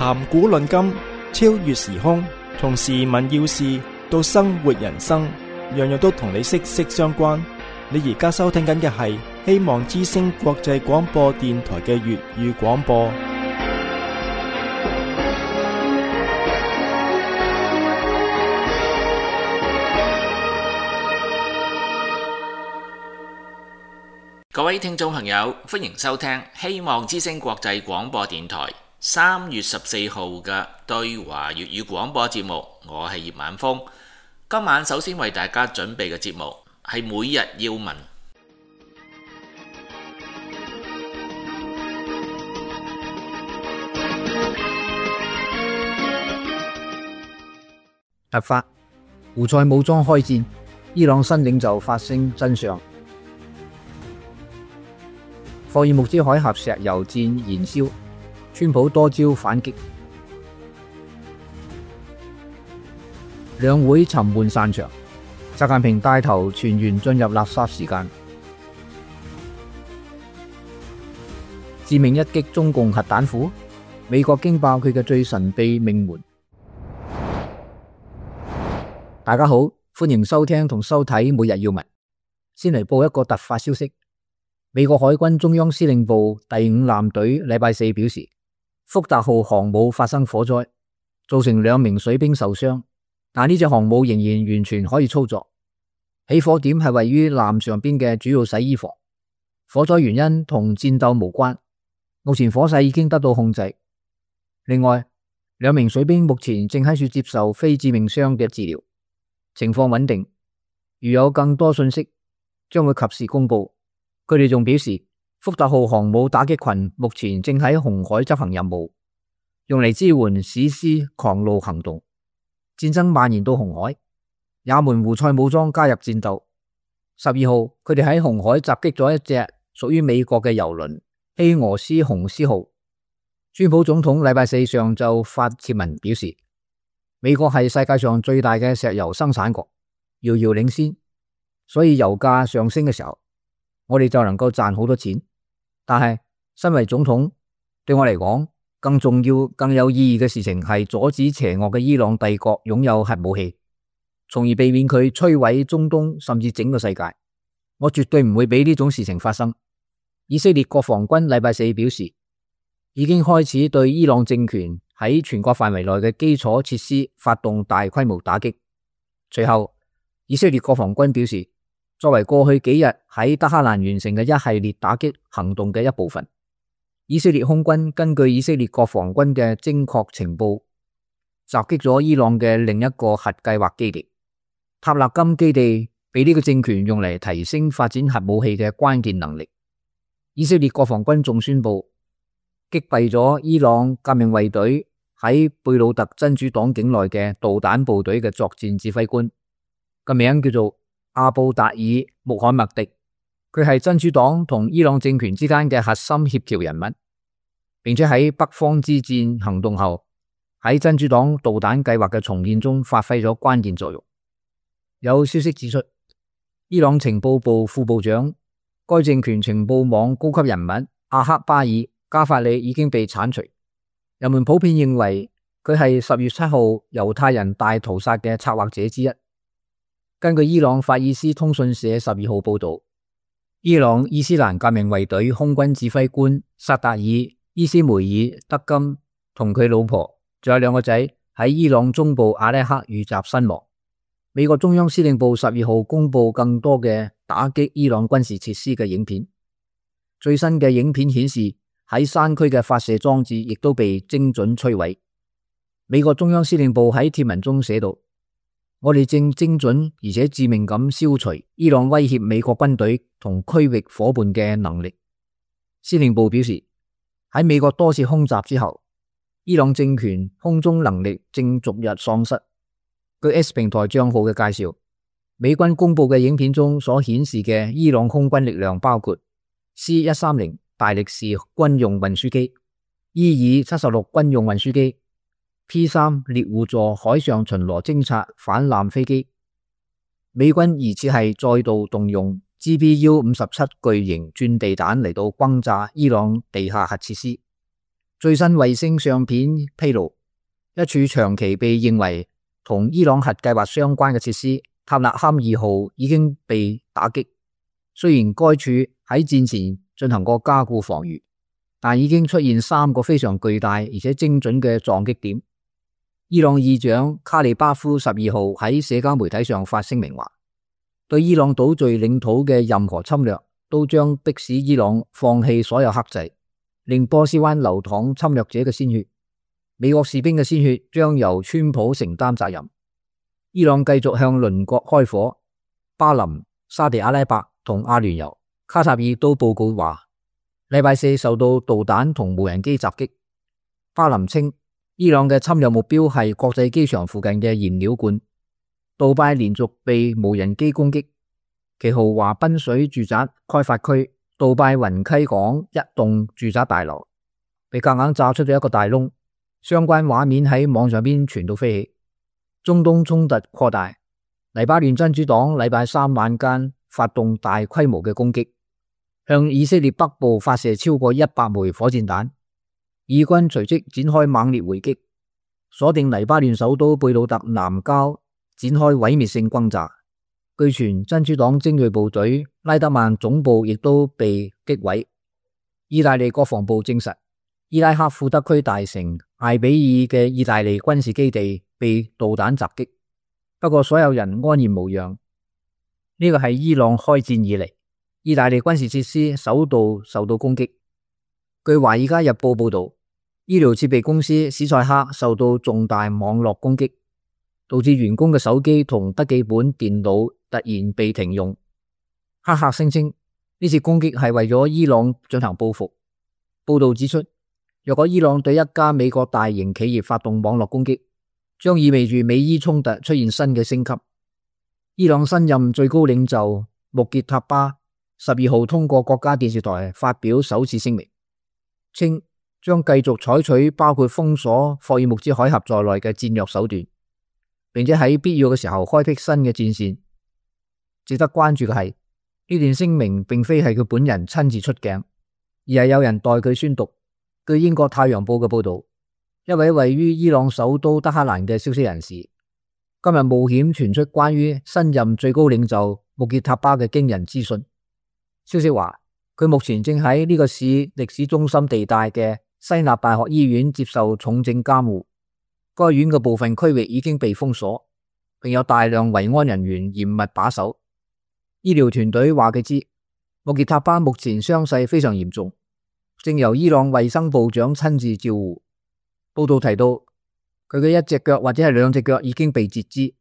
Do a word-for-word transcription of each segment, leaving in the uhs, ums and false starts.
談古論今，超越時空，從時聞要事到生活人生，樣樣都同你息息相關。你而家收聽緊嘅係希望之聲國際廣播電台嘅粵語廣播。各位聽眾朋友，歡迎收聽希望之聲國際廣播電台三月十四號嘅對華粵語廣播節目。我係葉晚風。今晚首先為大家準備嘅節目係每日要聞。突發，胡塞武裝開戰，伊朗新領袖發聲真相。霍爾木茲海峽石油戰燃燒，川普多招反擊。兩會沉悶散場，習近平帶頭全員進入垃圾時間。致命一擊中共核彈庫，美國驚爆佢嘅最神秘命門。大家好，歡迎收聽同收睇每日要聞。先嚟報一個突發消息。美國海軍中央司令部第五艦隊禮拜四表示，福特號航母發生火災，造成兩名水兵受傷，但呢隻航母仍然完全可以操作。起火點係位於艦上邊嘅主要洗衣房，火災原因同戰鬥無關，目前火勢已經得到控制。另外，兩名水兵目前正喺處接受非致命傷嘅治療，情況穩定。如有更多信息，將會及時公布。佢哋仲表示，福特號航母打擊群目前正喺紅海執行任務，用嚟支援史詩狂怒行動。戰爭蔓延到紅海，也門胡塞武裝加入戰鬥。十二號，佢哋喺紅海襲擊咗一隻屬於美國嘅油輪希俄斯雄獅號。川普總統禮拜四上晝發帖文表示，美國係世界上最大嘅石油生產國，遙遙領先，所以油價上升嘅時候，我哋就能夠賺好多錢。但係身為總統，對我嚟講，更重要、更有意義嘅事情係阻止邪惡嘅伊朗帝國擁有核武器，從而避免佢摧毀中東甚至整個世界。我絕對唔會俾呢種事情發生。以色列國防軍禮拜四表示，已經開始對伊朗政權喺全國範圍內嘅基礎設施發動大規模打擊。隨後，以色列國防軍表示，作為過去幾日喺德黑蘭完成嘅一系列打擊行動嘅一部分，以色列空軍根據以色列國防軍嘅精確情報，襲擊咗伊朗嘅另一個核計劃基地。塔勒金基地被呢個政權用嚟提升發展核武器嘅關鍵能力。以色列國防軍仲宣布擊斃咗伊朗革命衛隊喺貝魯特真主黨境內嘅導彈部隊嘅作戰指揮官，個名叫做阿布達爾穆罕默迪。佢係真主黨同伊朗政權之間嘅核心協調人物，並且喺北方之戰行動後喺真主黨導彈計劃嘅重建中發揮咗關鍵作用。有消息指出，伊朗情報部副部長、該政權情報網高級人物阿克巴爾加法里已經被鏟除。人們普遍認為佢係十月七號猶太人大屠殺嘅策劃者之一。根據伊朗法爾斯通訊社十二號報道，伊朗伊斯蘭革命衛隊空軍指揮官薩達爾伊斯梅爾德金同佢老婆仲有兩個仔喺伊朗中部阿拉克遇襲身亡。美國中央司令部十二號公布更多嘅打擊伊朗軍事設施嘅影片。最新嘅影片顯示，喺山區嘅發射裝置亦都被精準摧毀。美國中央司令部喺帖文中寫道，我哋正精準而且致命咁消除伊朗威脅美國軍隊同區域夥伴嘅能力。司令部表示，喺美國多次空襲之後，伊朗政權空中能力正逐日喪失。據 S 平台賬號嘅介紹，美軍公布嘅影片中所顯示嘅伊朗空軍力量包括 C 一三零 大力士軍用運輸機、伊爾七十六軍用運輸機、P 三 獵戶座海上巡邏偵察反艦飛機。美軍疑似係再度動用 G B U 五十七 巨型鑽地彈嚟到轟炸伊朗地下核設施。最新衛星相片披露，一處長期被認為同伊朗核計劃相關嘅設施塔納坎二號已經被打擊。雖然該處喺戰前進行過加固防禦，但已經出現三個非常巨大而且精準嘅撞擊點。伊朗議長卡利巴夫十二號喺社交媒體上發聲明話，對伊朗島嶼領土嘅任何侵略都將迫使伊朗放棄所有克制，令波斯灣流淌侵略者嘅鮮血。美國士兵嘅鮮血將由川普承擔責任。伊朗繼續向鄰國開火，巴林、沙地阿拉伯同阿聯酋、卡塔爾都報告話，禮拜四受到導彈同無人機襲擊。巴林稱，伊朗嘅侵略目標係國際機場附近嘅燃料罐。杜拜連續被無人機攻擊，其豪華濱水住宅開發區杜拜雲溪港一棟住宅大樓被夾硬炸出咗一個大窿，相關畫面喺網上邊傳到飛起。中東衝突擴大，黎巴嫩真主黨禮拜三晚間發動大規模嘅攻擊，向以色列北部發射超過一百枚火箭彈。以軍隨即展開猛烈回擊，鎖定黎巴嫩首都貝魯特南郊，展開毀滅性轟炸。據傳真主黨精銳部隊拉德曼總部亦都被擊毀。意大利國防部證實，伊拉克庫德區大城艾比爾嘅意大利軍事基地被導彈襲擊，不過所有人安然無恙。呢個係伊朗開戰以嚟意大利軍事設施首度受到攻擊。據華爾街日報報道，醫療設備公司史塞克受到重大網絡攻擊，導致員工嘅手機同筆記本電腦突然被停用。黑客聲稱呢次攻擊係為咗伊朗進行報復。報道指出，若果伊朗對一家美國大型企業發動網絡攻擊，將意味住美伊衝突出現新嘅升級。伊朗新任最高領袖穆傑塔巴十二號通過國家電視台發表首次聲明，稱將繼續採取包括封鎖霍爾木茲海峽在內嘅戰略手段，並且喺必要嘅時候開闢新嘅戰線。值得關注嘅係，呢段聲明並非係佢本人親自出鏡，而係有人代佢宣讀。據英國太陽報嘅報道，一位位於伊朗首都德黑蘭嘅消息人士今日冒險傳出關於新任最高領袖穆傑塔巴嘅驚人資訊。消息話，佢目前正喺呢個市歷史中心地帶嘅西納大學醫院接受重症監護。該院嘅部分區域已經被封鎖，並有大量維安人員嚴密把守。醫療團隊話佢知，穆傑塔巴目前傷勢非常嚴重，正由伊朗衛生部長親自照護。報道提到，佢嘅一隻腳或者係兩隻腳已經被截肢，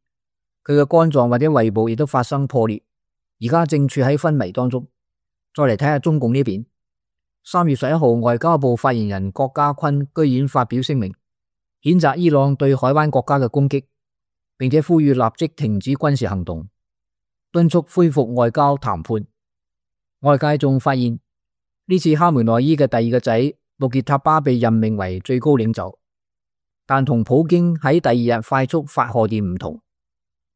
佢嘅肝臟或者胃部亦都發生破裂，而家正處喺昏迷當中。再嚟睇下中共呢邊，三月十一號，外交部發言人郭家坤居然發表聲明，譴責伊朗對海灣國家嘅攻擊，並且呼籲立即停止軍事行動，敦促恢復外交談判。外界仲發現，呢次哈梅內伊嘅第二個仔穆傑塔巴被任命為最高領袖，但同普京喺第二日快速發賀電唔同，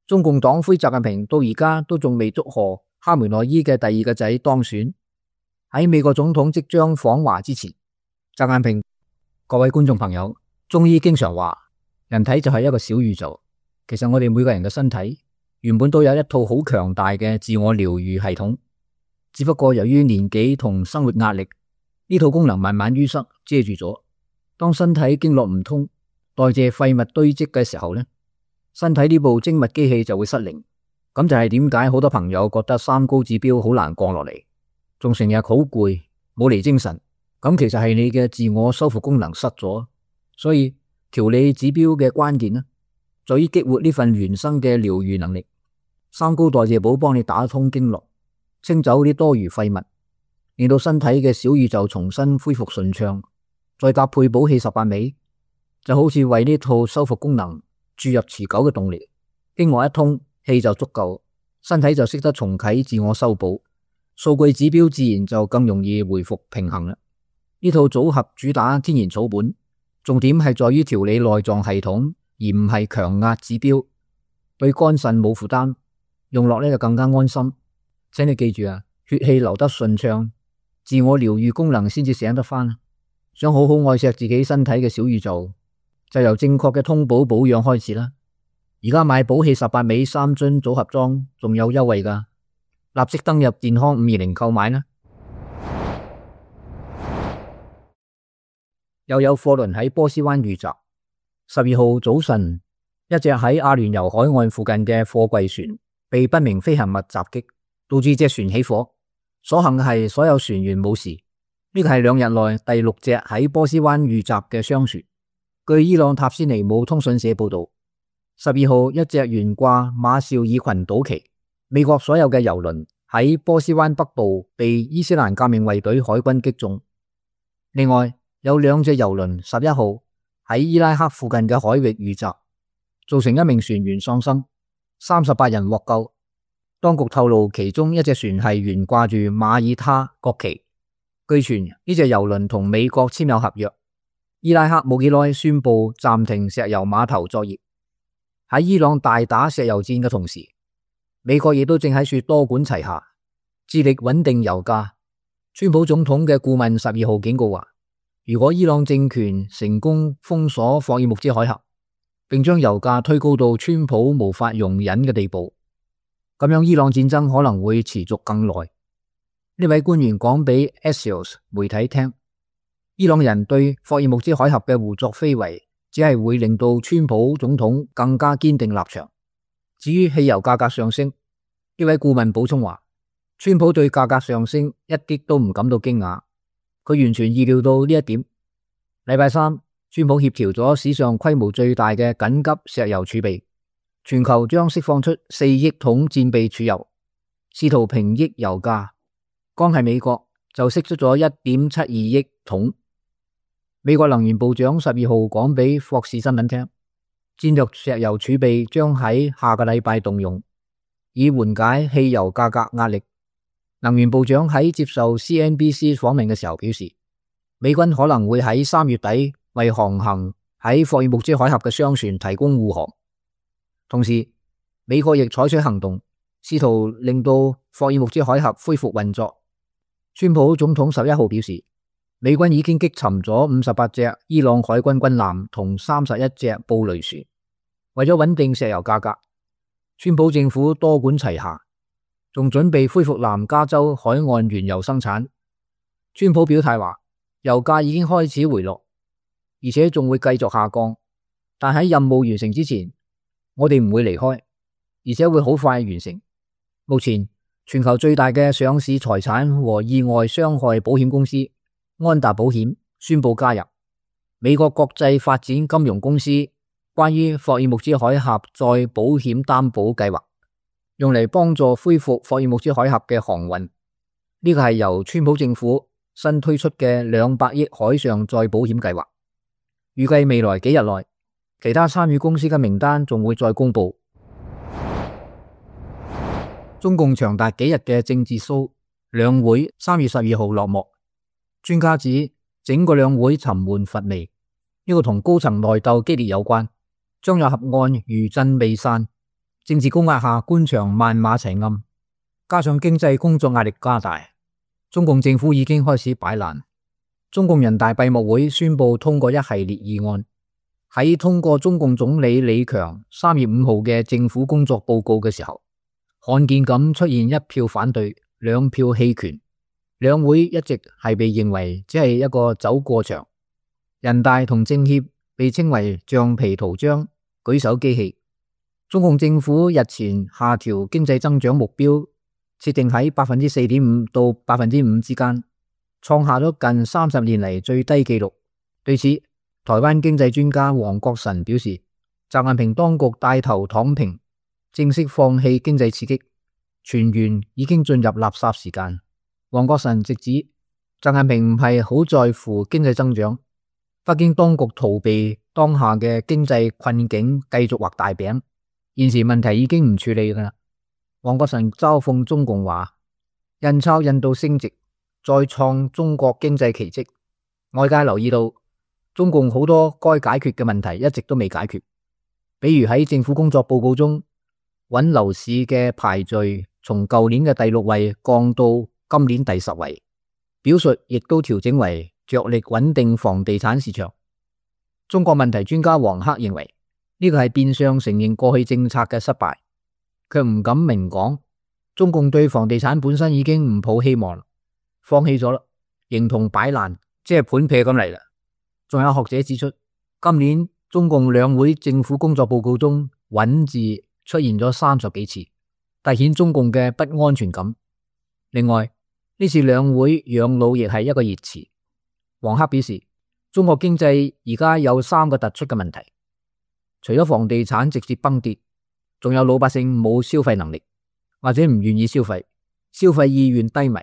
中共黨魁習近平到而家都仲未祝賀哈梅內伊嘅第二個仔當選。喺美國總統即將訪華之前，習近平，各位觀眾朋友，中醫經常話人體就係一個小宇宙。其實我哋每個人嘅身體原本都有一套好強大嘅自我療愈系統，只不過由於年紀同生活壓力，呢套功能慢慢淤塞遮住咗。當身體經絡唔通，代謝廢物堆積嘅時候呢，身體呢部精密機器就會失靈。咁就係點解好多朋友覺得三高指標好難降落嚟，仲成日好攰，冇嚟精神。咁其實係你嘅自我修復功能失咗。所以調理指標嘅關鍵呢，在於激活呢份原生嘅療愈能力。三高代謝寶幫你打通經絡，清走啲多餘廢物，令到身體嘅小宇宙重新恢復順暢。再搭配補氣十八味，就好似為呢套修復功能注入持久嘅動力。經絡一通，氣就足夠，身體就識得重啟自我修補，數據指標自然就更容易回復平衡啦。呢套組合主打天然草本，重點係在於調理內臟系統，而唔係強壓指標，對肝腎冇負擔，用落呢就更加安心。請你記住啊，血氣流得順暢，自我療愈功能先至醒得翻。想好好愛錫自己身體嘅小宇宙，就由正確嘅通寶保養開始啦。而家買寶氣十八味三樽組合裝仲有優惠㗎，立即登入健康五二零購買啦。又有貨輪喺波斯灣遇襲。十二號早晨，一隻喺阿聯酋海岸附近嘅貨櫃船被不明飛行物襲擊，導致隻船起火。所幸嘅係所有船員冇事。呢個係兩日內第六隻喺波斯灣遇襲嘅商船。據伊朗塔斯尼姆通訊社報道，十二號一隻懸掛馬紹爾群島旗，美國所有嘅油輪喺波斯灣北部被伊斯蘭革命衛隊海軍擊中。另外有兩隻油輪十一號喺伊拉克附近嘅海域遇襲，造成一名船員喪生，三十八人獲救。當局透露，其中一隻船係懸掛住馬耳他國旗。據傳呢隻油輪同美國簽有合約。伊拉克冇幾耐宣布暫停石油碼頭作業。喺伊朗大打石油戰嘅同時，美國亦都正喺處多管齊下，致力穩定油價。川普總統嘅顧問十二號警告話，如果伊朗政權成功封鎖霍爾木茲海峽，並將油價推高到川普無法容忍嘅地步，咁樣伊朗戰爭可能會持續更耐。呢位官員講俾 Axios 媒體聽，伊朗人對霍爾木茲海峽嘅胡作非為，只係會令到川普總統更加堅定立場。至於汽油價格上升，呢位顧問補充話，川普對價格上升一啲都唔感到驚訝，佢完全意料到呢一點。禮拜三，川普協調咗史上規模最大嘅緊急石油儲備，全球將釋放出四億桶戰備儲油，試圖平抑油價。光係美國就釋出咗一點七二億桶。美國能源部長十二號講俾霍士新聞聽，戰略石油儲備將喺下個禮拜動用，以緩解汽油價格壓力。能源部長喺接受 C N B C 訪問嘅時候表示，美軍可能會喺三月底為航行喺霍爾木茲海峽嘅商船提供護航。同時，美國亦採取行動，試圖令到霍爾木茲海峽恢復運作。川普總統十一號表示，美軍已經擊沉咗五十八隻伊朗海軍軍艦同三十一隻布雷船。為咗穩定石油價格，川普政府多管齊下，仲準備恢復南加州海岸原油生產。川普表態話，油價已經開始回落，而且仲會繼續下降，但喺任務完成之前，我哋唔會離開，而且會好快完成。目前全球最大嘅上市財產和意外傷害保險公司安達保險宣布加入美國國際發展金融公司關於霍爾木茲海峽再保險擔保計劃，用嚟幫助恢復霍爾木茲海峽嘅航運。呢個係由川普政府新推出嘅兩百億海上再保險計劃。預計未來幾日內，其他參與公司嘅名單仲會再公布。中共長達幾日嘅政治騷兩會三月十二號落幕，專家指整個兩會沉悶乏味，呢個同高層內鬥激烈有關。張又俠案餘震未散，政治高壓下官場萬馬齊喑，加上經濟工作壓力加大，中共政府已經開始擺爛。中共人大閉幕會宣布通過一系列議案，喺通過中共總理李強三月五號嘅政府工作報告嘅時候，罕見咁出現一票反對，兩票棄權。兩會一直係被認為只係一個走過場，人大同政協被稱為橡皮圖章、舉手機器。中共政府日前下調經濟增長目標，設定喺百分之四點五到百分之五之間，創下咗近三十年嚟最低紀錄。對此，台灣經濟專家黃國臣表示，習近平當局帶頭躺平，正式放棄經濟刺激，全員已經進入垃圾時間。黃國臣直指，習近平唔係好在乎經濟增長，北京當局逃避當下嘅經濟困境，繼續畫大餅，現時問題已經唔處理啦。黃國臣嘲諷中共話，印鈔印到升值，再創中國經濟奇蹟。外界留意到，中共好多該解決嘅問題一直都未解決，比如喺政府工作報告中，穩樓市嘅排序從舊年嘅第六位降到今年第十位，表述亦都調整為着力穩定房地產市場。中國問題專家黃克認為，呢個係變相承認過去政策嘅失敗，卻唔敢明講。中共對房地產本身已經唔抱希望，放棄咗啦，形同擺爛，即係盤劈咁嚟啦。仲有學者指出，今年中共兩會政府工作報告中穩字出現咗三十幾次，凸顯中共嘅不安全感。另外，呢次兩會養老亦係一個熱詞。黃克表示，中國經濟而家有三個突出嘅問題，除咗房地產直接崩跌，仲有老百姓冇消費能力，或者唔願意消費，消費意願低迷。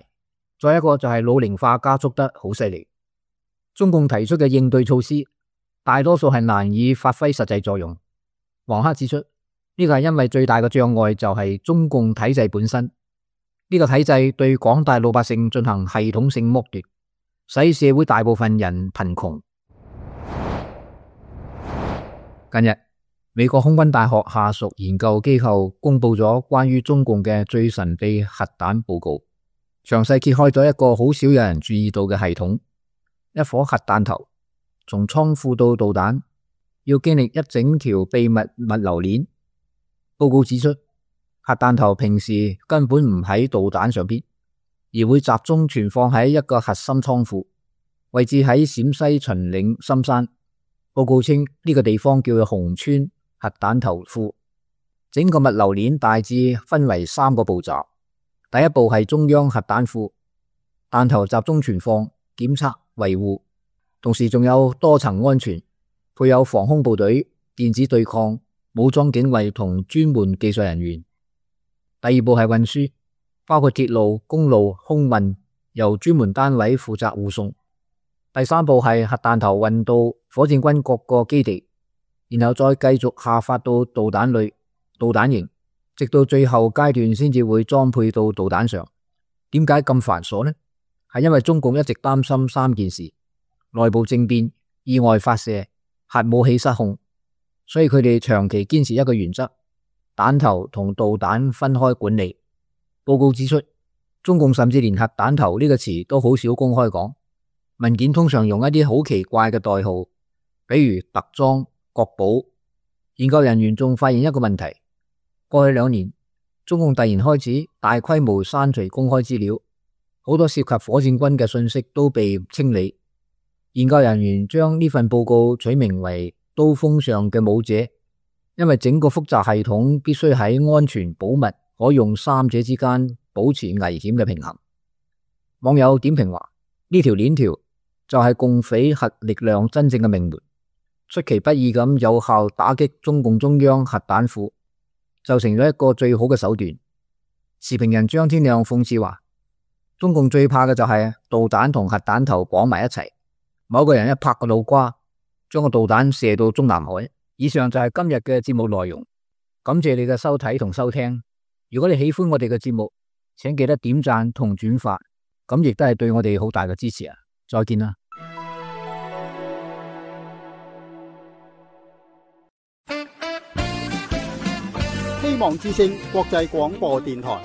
再一個就係老齡化加速得好犀利。中共提出嘅應對措施，大多數係難以發揮實際作用。黃克指出，呢個係因為最大嘅障礙就係中共體制本身，呢個體制對廣大老百姓進行系統性剝奪，使社會大部分人貧窮。近日，美國空軍大學下屬研究機構公布咗關於中共嘅最神秘核彈報告，詳細揭開咗一個好少有人注意到嘅系統。一顆核彈頭從倉庫到導彈要經歷一整條秘密物流鏈。報告指出，核彈頭平時根本唔喺導彈上邊，而會集中存放喺一個核心倉庫，位置喺陝西秦嶺深山。報告稱呢個地方叫做紅川核彈頭庫。整個物流鏈大致分為三個步驟。第一步係中央核彈庫，彈頭集中存放、檢測、維護，同時仲有多層安全，配有防空部隊、電子對抗、武裝警衛同專門技術人員。第二步係運輸，包括鐵路、公路、空運，由專門單位負責護送。第三步係核彈頭運到火箭軍各個基地，然後再繼續下發到導彈類、導彈營，直到最後階段先至會裝配到導彈上。點解咁繁瑣呢？係因為中共一直擔心三件事：內部政變、意外發射、核武器失控，所以佢哋長期堅持一個原則：彈頭同導彈分開管理。報告指出，中共甚至連核彈頭呢個詞都好少公開講，文件通常用一啲好奇怪嘅代號，比如特裝、國寶。研究人員仲發現一個問題：過去兩年，中共突然開始大規模刪除公開資料，好多涉及火箭軍嘅信息都被清理。研究人員將呢份報告取名為刀鋒上嘅武者，因為整個複雜系統必須喺安全、保密、可用三者之間保持危險嘅平衡。網友點評話，呢條鏈條就係共匪核力量真正嘅命門，出其不意咁有效打擊中共中央核彈庫，就成咗一個最好嘅手段。時評人張天亮諷刺話，中共最怕嘅就係導彈同核彈頭綁埋一齊，某個人一拍個腦瓜，將個導彈射到中南海。以上就係今日嘅節目內容，感謝你嘅收睇同收聽。如果你喜歡我哋嘅節目，請記得點讚同轉發，咁亦都係對我哋好大嘅支持啊！再見啦！希望之聲國際廣播電台。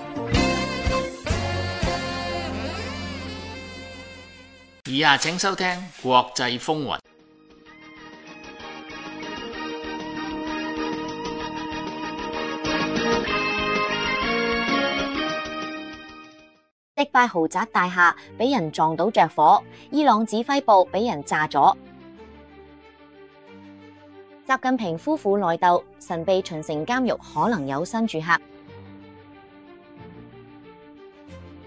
以下請收聽國際風雲。迪拜豪宅大廈俾人撞到着火，伊朗指揮部俾人炸咗。習近平夫婦內鬥，神秘秦城監獄可能有新住客。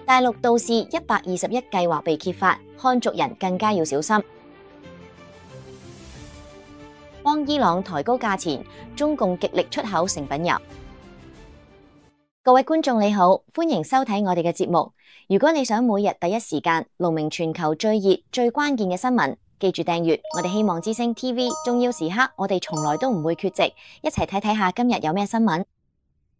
大陸道士一百二十一計劃被揭發，漢族人更加要小心。幫伊朗抬高價錢，中共極力出口成品油。各位觀眾你好，歡迎收睇我哋嘅節目。如果你想每日第一時間龍明全球最熱最關鍵嘅新聞，記住訂閱我哋希望之聲 T V， 重要時刻我哋從來都唔會缺席，一齊睇睇下今日有咩新聞。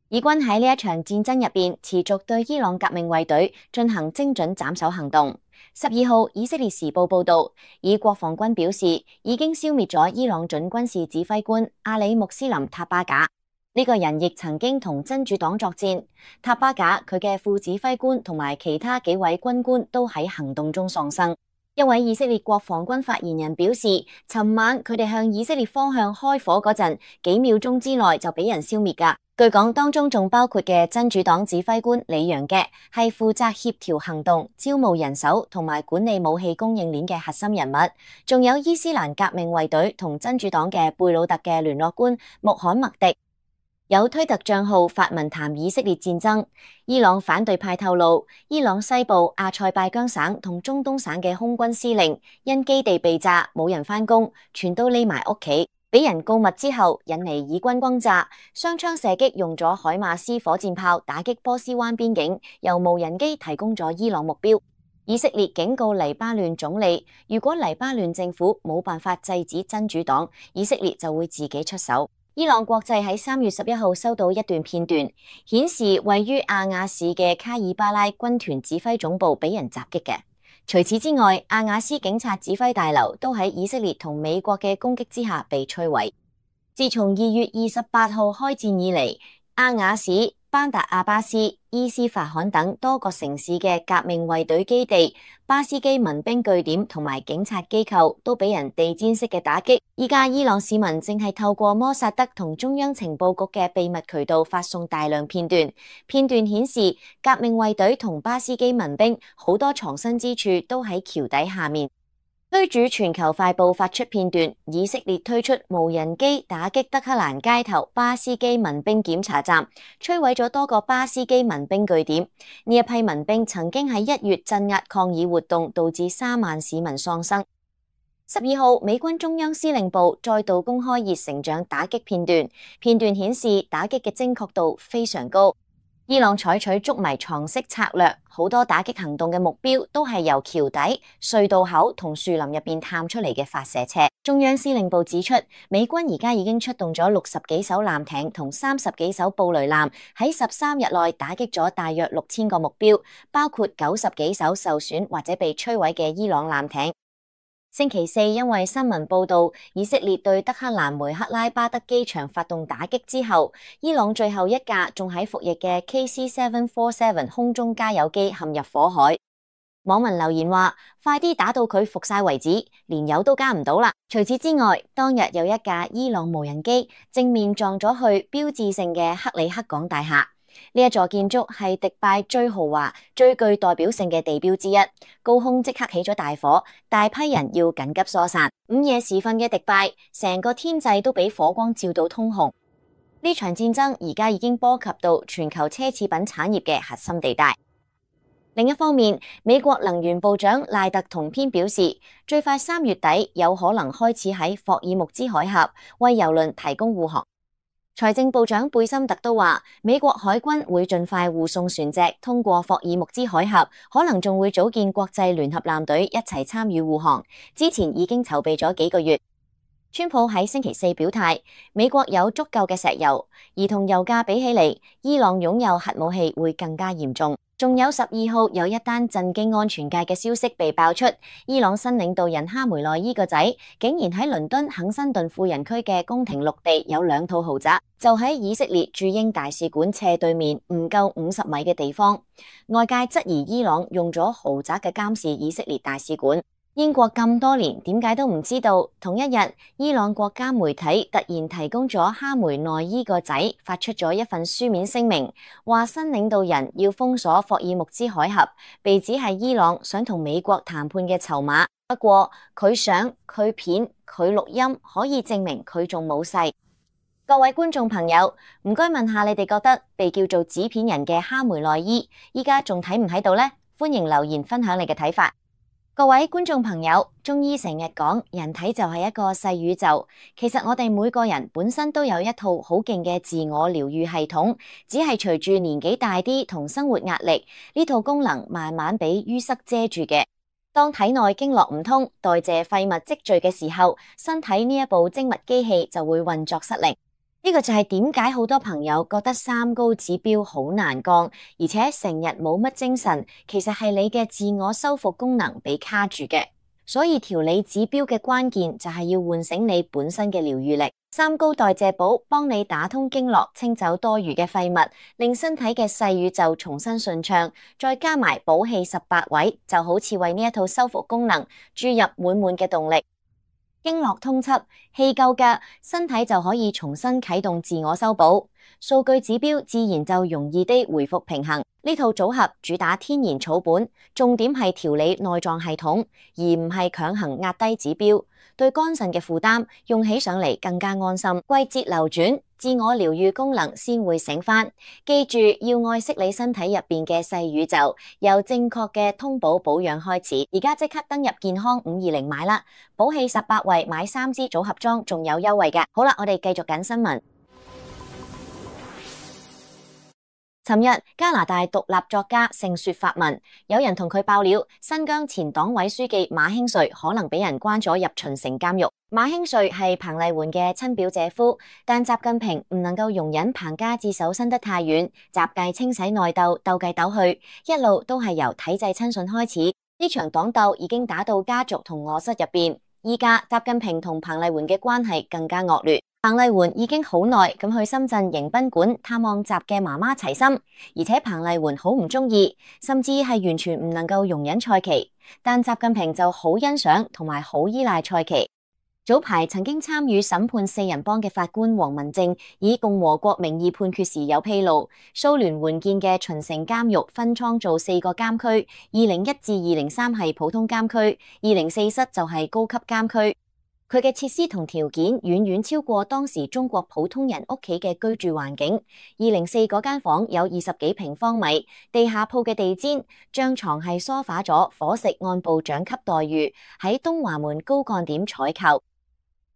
以軍喺呢一場戰爭入邊持續對伊朗革命衛隊進行精準斬首行動。十二號，以色列時報報道，以國防軍表示已經消滅咗伊朗準軍事指揮官阿里穆斯林塔巴賈。呢個人亦曾經同真主黨作戰。塔巴賈佢嘅副指揮官同埋其他幾位軍官都喺行動中喪生。一位以色列國防軍發言人表示，尋晚佢哋向以色列方向開火嗰陣，幾秒鐘之內就俾人消滅㗎。據講，當中仲包括嘅真主黨指揮官李揚嘅，係負責協調行動、招募人手同埋管理武器供應鏈嘅核心人物。仲有伊斯蘭革命衛隊同真主黨嘅貝魯特嘅聯絡官穆罕默迪。有推特賬號發文談以色列戰爭。伊朗反對派透露，伊朗西部阿塞拜疆省同中東省嘅空軍司令因基地被炸，冇人返工，全都匿埋屋企，俾人告密之後，引嚟以軍轟炸，雙槍射擊用咗海馬斯火箭炮打擊波斯灣邊境，由無人機提供咗伊朗目標。以色列警告黎巴嫩總理，如果黎巴嫩政府冇辦法制止真主黨，以色列就會自己出手。伊朗國際喺三月十一號收到一段片段，顯示位於阿雅市嘅卡爾巴拉軍團指揮總部俾人襲擊嘅。除此之外，阿雅斯警察指揮大樓都喺以色列同美國嘅攻擊之下被摧毀。自從二月二十八號開戰以嚟，阿雅市、班達阿巴斯、伊斯法罕等多個城市嘅革命衛隊基地、巴斯基民兵據點同埋警察機構都俾人地毯式嘅打擊。依家伊朗市民正係透過摩薩德同中央情報局嘅秘密渠道發送大量片段，片段顯示革命衛隊同巴斯基民兵好多藏身之處都喺橋底下面。推主全球快報發出片段，以色列推出無人機打擊德黑蘭街頭巴斯基民兵檢查站，摧毀咗多個巴斯基民兵據點。呢一批民兵曾經喺一月鎮壓抗議活動，導致三萬市民喪生。十二號，美軍中央司令部再度公開熱成像打擊片段，片段顯示打擊嘅精確度非常高。伊朗採取捉迷藏式策略，好多打擊行動嘅目標都係由橋底、隧道口同樹林入邊探出嚟嘅發射車。中央司令部指出，美軍而家已經出動咗六十幾艘艦艇同三十幾艘布雷艦，喺十三日內打擊咗大約六千個目標，包括九十幾艘受損或者被摧毀嘅伊朗艦艇。星期四，因為新聞報道以色列對德黑蘭梅克拉巴德機場發動打擊之後，伊朗最後一架仲喺服役嘅 K C 七四七空中加油機陷入火海。網民留言話：快啲打到佢服晒為止，連油都加唔到啦！除此之外，當日有一架伊朗無人機正面撞咗去標誌性嘅克里克港大廈。呢一座建築係迪拜最豪華、最具代表性嘅地標之一，高空即刻起咗大火，大批人要緊急疏散。午夜時分嘅迪拜，成個天際都俾火光照到通紅。呢場戰爭而家已經波及到全球奢侈品產業嘅核心地帶。另一方面，美國能源部長賴特同篇表示，最快三月底有可能開始喺霍爾木茲海峽為郵輪提供護航。財政部長貝森特都話，美國海軍會盡快護送船隻通過霍爾木茲海峽，可能仲會組建國際聯合艦隊一齊參與護航。之前已經籌備咗幾個月。川普喺星期四表態，美國有足夠嘅石油，而同油價比起嚟，伊朗擁有核武器會更加嚴重。仲有十二號有一單震驚安全界嘅消息被爆出，伊朗新領導人哈梅內伊個仔竟然喺倫敦肯辛頓富人區嘅宮廷綠地有兩套豪宅，就喺以色列駐英大使館斜對面唔夠五十米嘅地方。外界質疑伊朗用咗豪宅嘅監視以色列大使館。英國咁多年點解都唔知道？同一日，伊朗國家媒體突然提供咗哈梅內伊個仔發出咗一份書面聲明，話新領導人要封鎖霍爾木茲海峽，被指係伊朗想同美國談判嘅籌碼。不過佢相、佢片、佢錄音可以證明佢仲冇逝。各位觀眾朋友，唔該問下你哋覺得被叫做紙片人嘅哈梅內伊依家仲睇唔睇到呢？歡迎留言分享你嘅睇法。各位觀眾朋友，中醫成日講人體就係一個細宇宙，其實我哋每個人本身都有一套好勁嘅自我療癒系統，只係隨住年紀大啲同生活壓力，呢套功能慢慢俾淤塞遮住嘅。當體內經絡唔通，代謝廢物積聚嘅時候，身體呢一部精密機器就會運作失靈。呢個就係點解好多朋友覺得三高指標好難降，而且成日冇乜精神，其實係你嘅自我修復功能被卡住嘅。所以調理指標嘅關鍵就係要喚醒你本身嘅療癒力。三高代謝寶幫你打通經絡，清走多餘嘅廢物，令身體嘅細宇宙重新順暢。再加埋補氣十八位，就好似為呢一套修復功能注入滿滿嘅動力。經絡通葺，氣夠嘅身體就可以重新啟動自我修補，數據指標自然就容易地回復平衡。呢套組合主打天然草本，重點係調理內臟系統，而唔係強行壓低指標，對肝腎嘅負擔用起上嚟更加安心。季節流轉，自我療癒功能先會醒返。記住要愛惜你身體入邊嘅細宇宙，由正確嘅通補保養開始。而家即刻登入健康五二零買啦，補氣十八位買三支組合裝仲有優惠㗎。好啦，我哋繼續緊新聞。尋日加拿大獨立作家盛雪發文，有人同佢爆料，新疆前黨委書記馬興瑞可能俾人關咗入秦城監獄。馬興瑞係彭麗媛嘅親表姐夫，但習近平唔能夠容忍彭家自首伸得太遠，習繼清洗內鬥，鬥計鬥去，一路都係由體制親信開始。呢場黨鬥已經打到家族同臥室入邊，依家習近平同彭麗媛嘅關係更加惡劣。彭麗媛已經好耐咁去深圳迎賓館探望習嘅媽媽齊心，而且彭麗媛好唔中意，甚至係完全唔能夠容忍蔡奇，但習近平就好欣賞同埋好依賴蔡奇。早排曾經參與審判四人幫嘅法官黃文正以共和國名義判決時有披露，蘇聯援建嘅秦城監獄分倉做四個監區，二零一至二零三係普通監區，二零四室就係高級監區。佢嘅設施同條件遠遠超過當時中國普通人屋企嘅居住環境。二零四嗰間房有二十幾平方米，地下鋪嘅地氈、張床係梳化咗，伙食按部長級待遇，喺東華門高幹點採購。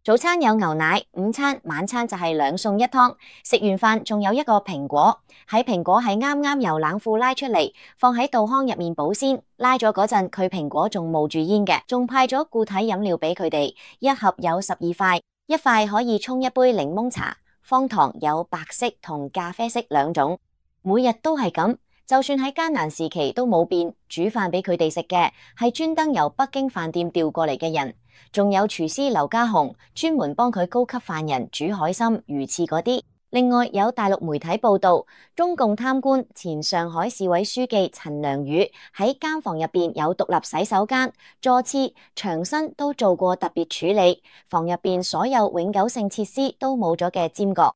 早餐有牛奶，午餐晚餐就係兩餸一湯。食完飯仲有一個蘋果，喺蘋果係啱啱由冷庫拉出嚟，放喺稻糠入面保鮮。拉咗嗰陣，佢蘋果仲冒住煙嘅，仲派咗固體飲料俾佢哋，一盒有十二塊，一塊可以沖一杯檸檬茶。方糖有白色同咖啡色兩種，每日都係咁。就算喺艱難時期都冇變，煮飯俾佢哋食嘅係專登由北京飯店調過嚟嘅人。仲有廚師劉家雄專門幫佢高級犯人煮海參、魚翅嗰啲。另外有大陸媒體報道，中共貪官前上海市委書記陳良宇喺監房入邊有獨立洗手間、座廁、牆身都做過特別處理，房入邊所有永久性設施都冇咗嘅尖角，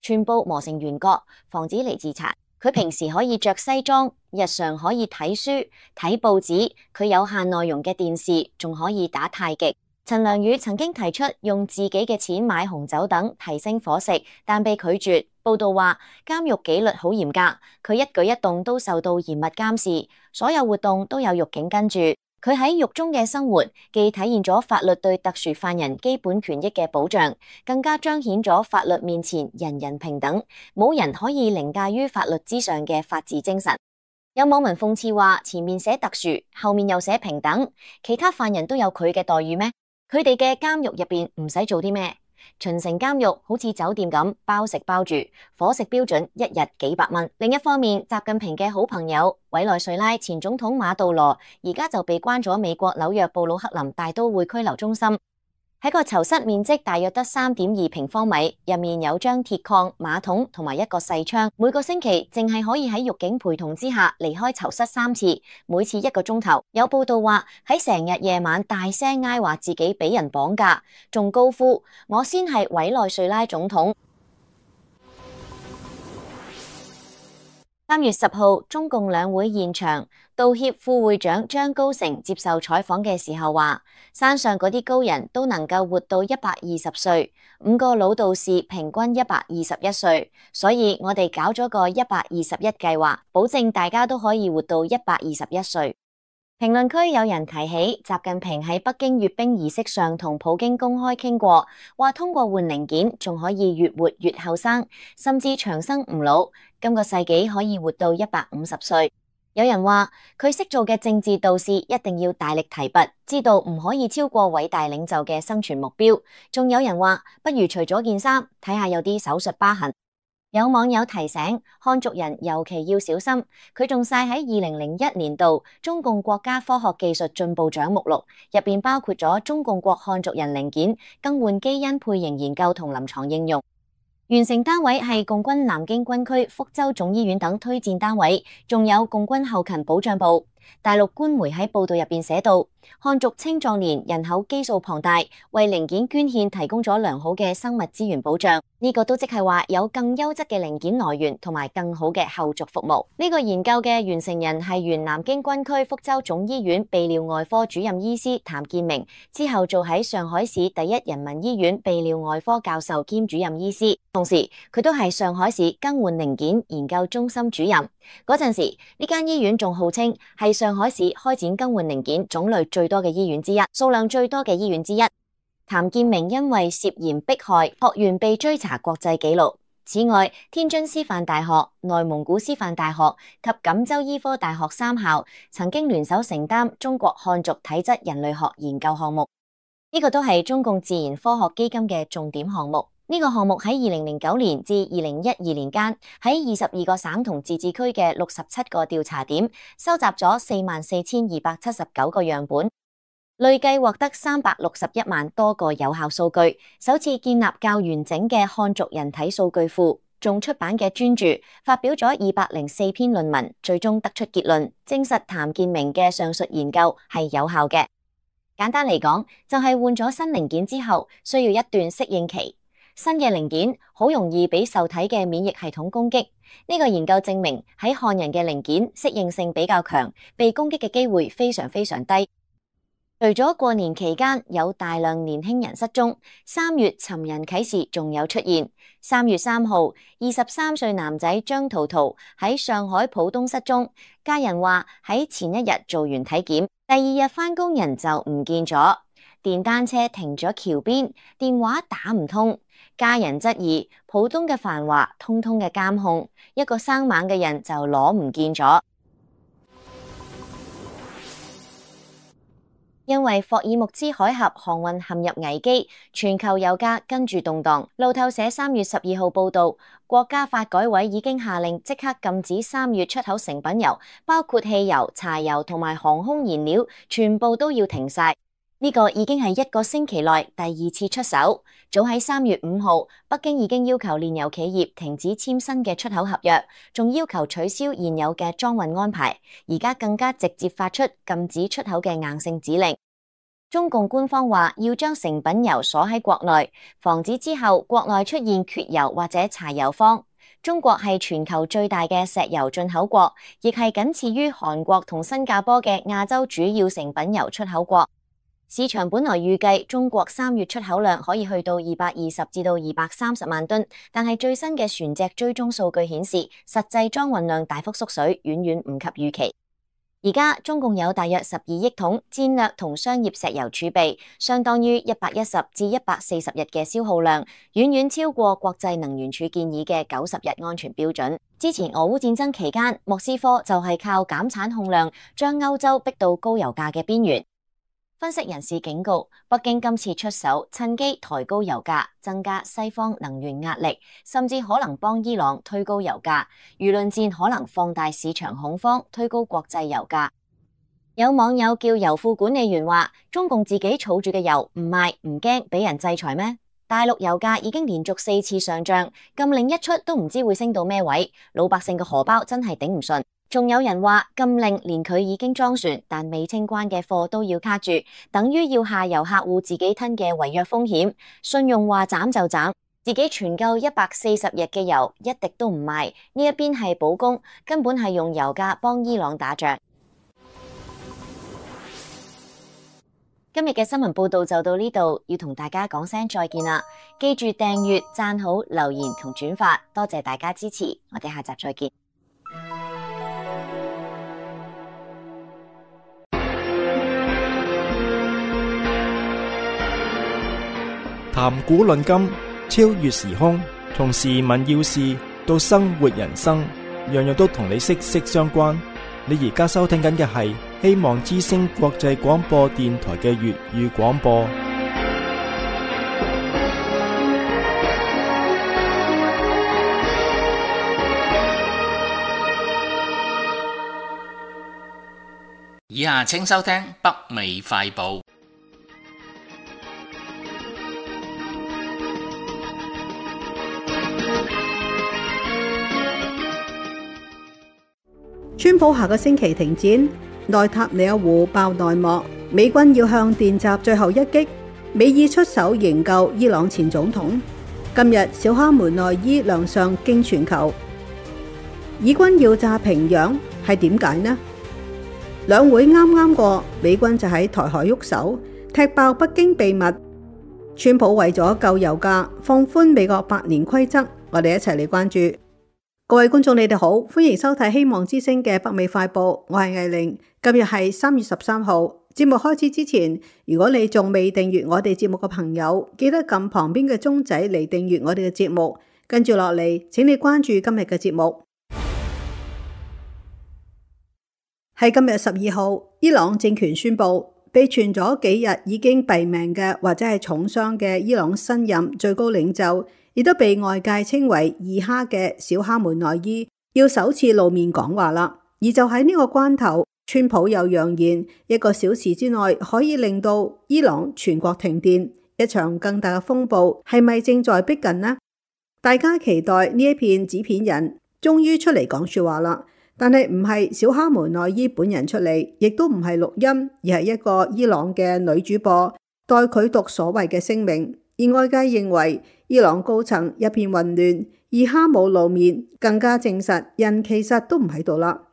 全部磨成圓角，防止嚟自殘。佢平時可以着西裝，日常可以睇書、睇報紙，佢有限內容嘅電視，仲可以打太極。陳良宇曾經提出用自己嘅錢買紅酒等提升伙食，但被拒絕。報道話監獄紀律好嚴格，佢一舉一動都受到嚴密監視，所有活動都有獄警跟住。佢喺獄中嘅生活，既體現咗法律對特殊犯人基本權益嘅保障，更加彰顯咗法律面前人人平等，冇人可以凌駕於法律之上嘅法治精神。有網民諷刺話，前面寫特殊，後面又寫平等，其他犯人都有佢嘅待遇咩？佢哋嘅監獄入邊唔使做啲咩？秦城監獄好似酒店咁，包食包住，伙食標準一日幾百蚊。另一方面，習近平嘅好朋友委內瑞拉前總統馬杜羅而家就被關咗美國紐約布魯克林大都會拘留中心，喺個囚室面積大約得三點二平方米，入面有張鐵礦、馬桶同埋一個細窗，每個星期淨係可以喺獄警陪同之下離開囚室三次，每次一個鐘頭。有報道話喺成日夜晚大聲嗌話自己俾人綁架，仲高呼我先係委內瑞拉總統。三月十號，中共兩會現場，道協副會長張高成接受採訪嘅時候話，山上嗰啲高人都能夠活到一百二十歲，五個老道士平均一百二十一歲，所以我哋搞咗個一百二十一計劃，保證大家都可以活到一百二十一歲。評論區有人提起習近平喺北京閱兵儀式上同普京公開傾過，話通過換零件仲可以越活越後生，甚至長生唔老，今個世紀可以活到一百五十歲。有人話佢識做嘅政治導師一定要大力提拔，知道唔可以超過偉大領袖嘅生存目標。仲有人話不如除咗件衫，睇下有啲手術疤痕。有網友提醒漢族人尤其要小心，佢仲晒喺二零零一年度中共國家科學技術進步獎目錄，入邊包括咗中共國漢族人零件更換基因配型研究同臨床應用。完成單位係共軍南京軍區福州總醫院等推薦單位，仲有共軍後勤保障部。大陸官媒喺報道入邊寫到，漢族青壯年人口基數龐大，為零件捐獻提供咗良好嘅生物資源保障。呢個都即係話有更優質嘅零件來源同埋更好嘅後續服務。呢個研究嘅完成人係原南京軍區福州總醫院泌尿外科主任醫師譚建明，之後做喺上海市第一人民醫院泌尿外科教授兼主任醫師，同時佢都係上海市更換零件研究中心主任。嗰陣時呢間醫院仲號稱係上海市開展更換零件種類最多嘅醫院之一，數量最多嘅醫院之一。譚建明因為涉嫌迫害學員被追查國際紀錄。此外，天津師範大學、內蒙古師範大學及錦州醫科大學三校曾經聯手承擔中國漢族體質人類學研究項目，呢個都係中共自然科學基金嘅重點項目。呢個項目喺二零零九年至二零一二年間，喺二十二個省同自治區嘅六十七個調查點，收集咗四萬四千二百七十九個樣本，累計獲得三百六十一萬多個有效數據，首次建立較完整嘅漢族人體數據庫。仲出版嘅專著，發表咗二百零四篇論文，最終得出結論，證實譚建明嘅上述研究係有效嘅。簡單嚟講，就係換咗新零件之後，需要一段適應期。新嘅零件好容易俾受體嘅免疫系統攻擊，呢個研究證明喺漢人嘅零件適應性比較強，被攻擊嘅機會非常非常低。除咗過年期間有大量年輕人失蹤，三月尋人啟事仲有出現。三月三號，二十三歲男仔張圖圖喺上海浦東失蹤，家人話喺前一日做完體檢，第二日返工人就唔見咗，電單車停咗橋邊，電話打唔通。家人質疑浦東嘅繁華通通嘅監控，一個生猛嘅人就攞唔見咗。因為霍爾木茲海峽航運陷入危機，全球油價跟住動盪。路透社三月十二號報道，國家發改委已經下令即刻禁止三月出口成品油，包括汽油、柴油同埋航空燃料，全部都要停晒。呢個已經係一個星期內第二次出手。早喺三月五號，北京已經要求煉油企業停止簽新嘅出口合約，仲要求取消現有嘅裝運安排。而家更加直接發出禁止出口嘅硬性指令。中共官方話要將成品油鎖喺國內，防止之後國內出現缺油或者柴油荒。中國係全球最大嘅石油進口國，亦係僅次於韓國同新加坡嘅亞洲主要成品油出口國。市場本來預計中國三月出口量可以去到二百二十至到二百三十萬噸，但係最新嘅船隻追蹤數據顯示，實際裝運量大幅縮水，遠遠唔及預期。而家中共有大約十二億桶戰略同商業石油儲備，相當於一百一十至一百四十日嘅消耗量，遠遠超過國際能源署建議嘅九十日安全標準。之前俄烏戰爭期間，莫斯科就係靠減產控量，將歐洲逼到高油價嘅邊緣。分析人士警告，北京今次出手，趁機抬高油價，增加西方能源壓力，甚至可能幫伊朗推高油價。輿論戰可能放大市場恐慌，推高國際油價。有網友叫油庫管理員話：中共自己儲住嘅油唔賣唔驚俾人制裁咩？大陸油價已經連續四次上漲，禁令一出都唔知會升到咩位，老百姓嘅荷包真係頂唔順。仲有人話禁令連佢已經裝船但未清關嘅貨都要卡住，等於要下游客戶自己吞嘅違約風險。信用話斬就斬，自己存夠一百四十日嘅油一滴都唔賣，呢一邊係保供，根本係用油價幫伊朗打仗。今日嘅新聞報道就到呢度，要同大家講聲再見啦！記住訂閱、讚好、留言同轉發，多謝大家支持，我哋下集再見。談古論今，超越時空，從時聞要事到生活人生，樣樣都同你息息相關。你而家收聽緊嘅係希望之聲國際廣播電台嘅粵語廣播。以下請收聽北美快報。川普下個星期停戰，內塔尼亞胡爆內幕，美軍要向電閘最後一擊，美意出手營救伊朗前總統。今日小哈梅內伊亮相驚全球，以軍要炸平壤係點解呢？兩會啱啱過，美軍就喺台海喐手，踢爆北京秘密。川普為咗救油價，放寬美國百年規則，我哋一齊嚟關注。各位觀眾，你哋好，歡迎收睇希望之聲嘅北美快報，我係藝玲。今日係三月十三號。節目開始之前，如果你仲未訂閱我哋節目嘅朋友，記得撳旁邊嘅鐘仔嚟訂閱我哋嘅節目。跟住落嚟，請你關注今日嘅節目。喺今日十二號，伊朗政權宣布，被傳咗幾日已經斃命嘅或者係重傷嘅伊朗新任最高領袖，亦都被外界稱為二哈嘅小哈梅內伊要首次露面講話啦。而就喺呢個關頭，川普又揚言一個小時之內可以令到伊朗全國停電，一場更大嘅風暴係咪正在逼近呢？大家期待呢一片紙片人終於出嚟講說話啦，但係唔係小哈梅內伊本人出嚟，亦都唔係錄音，而係一個伊朗嘅女主播代佢讀所謂嘅聲明。而外界認為伊朗高層一片混亂，二哈冇露面，更加證實人其實都唔喺度啦。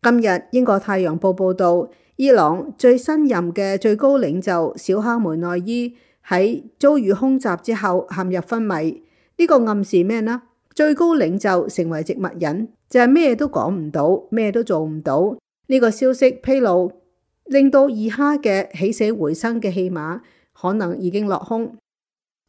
今日英國太陽報報道，伊朗最新任嘅最高領袖小哈梅內伊喺遭遇空襲之後陷入昏迷。呢個暗示咩呢？最高領袖成為植物人，就係咩都講唔到，咩都做唔到。呢個消息披露，令到二哈嘅起死回生嘅戲碼可能已經落空。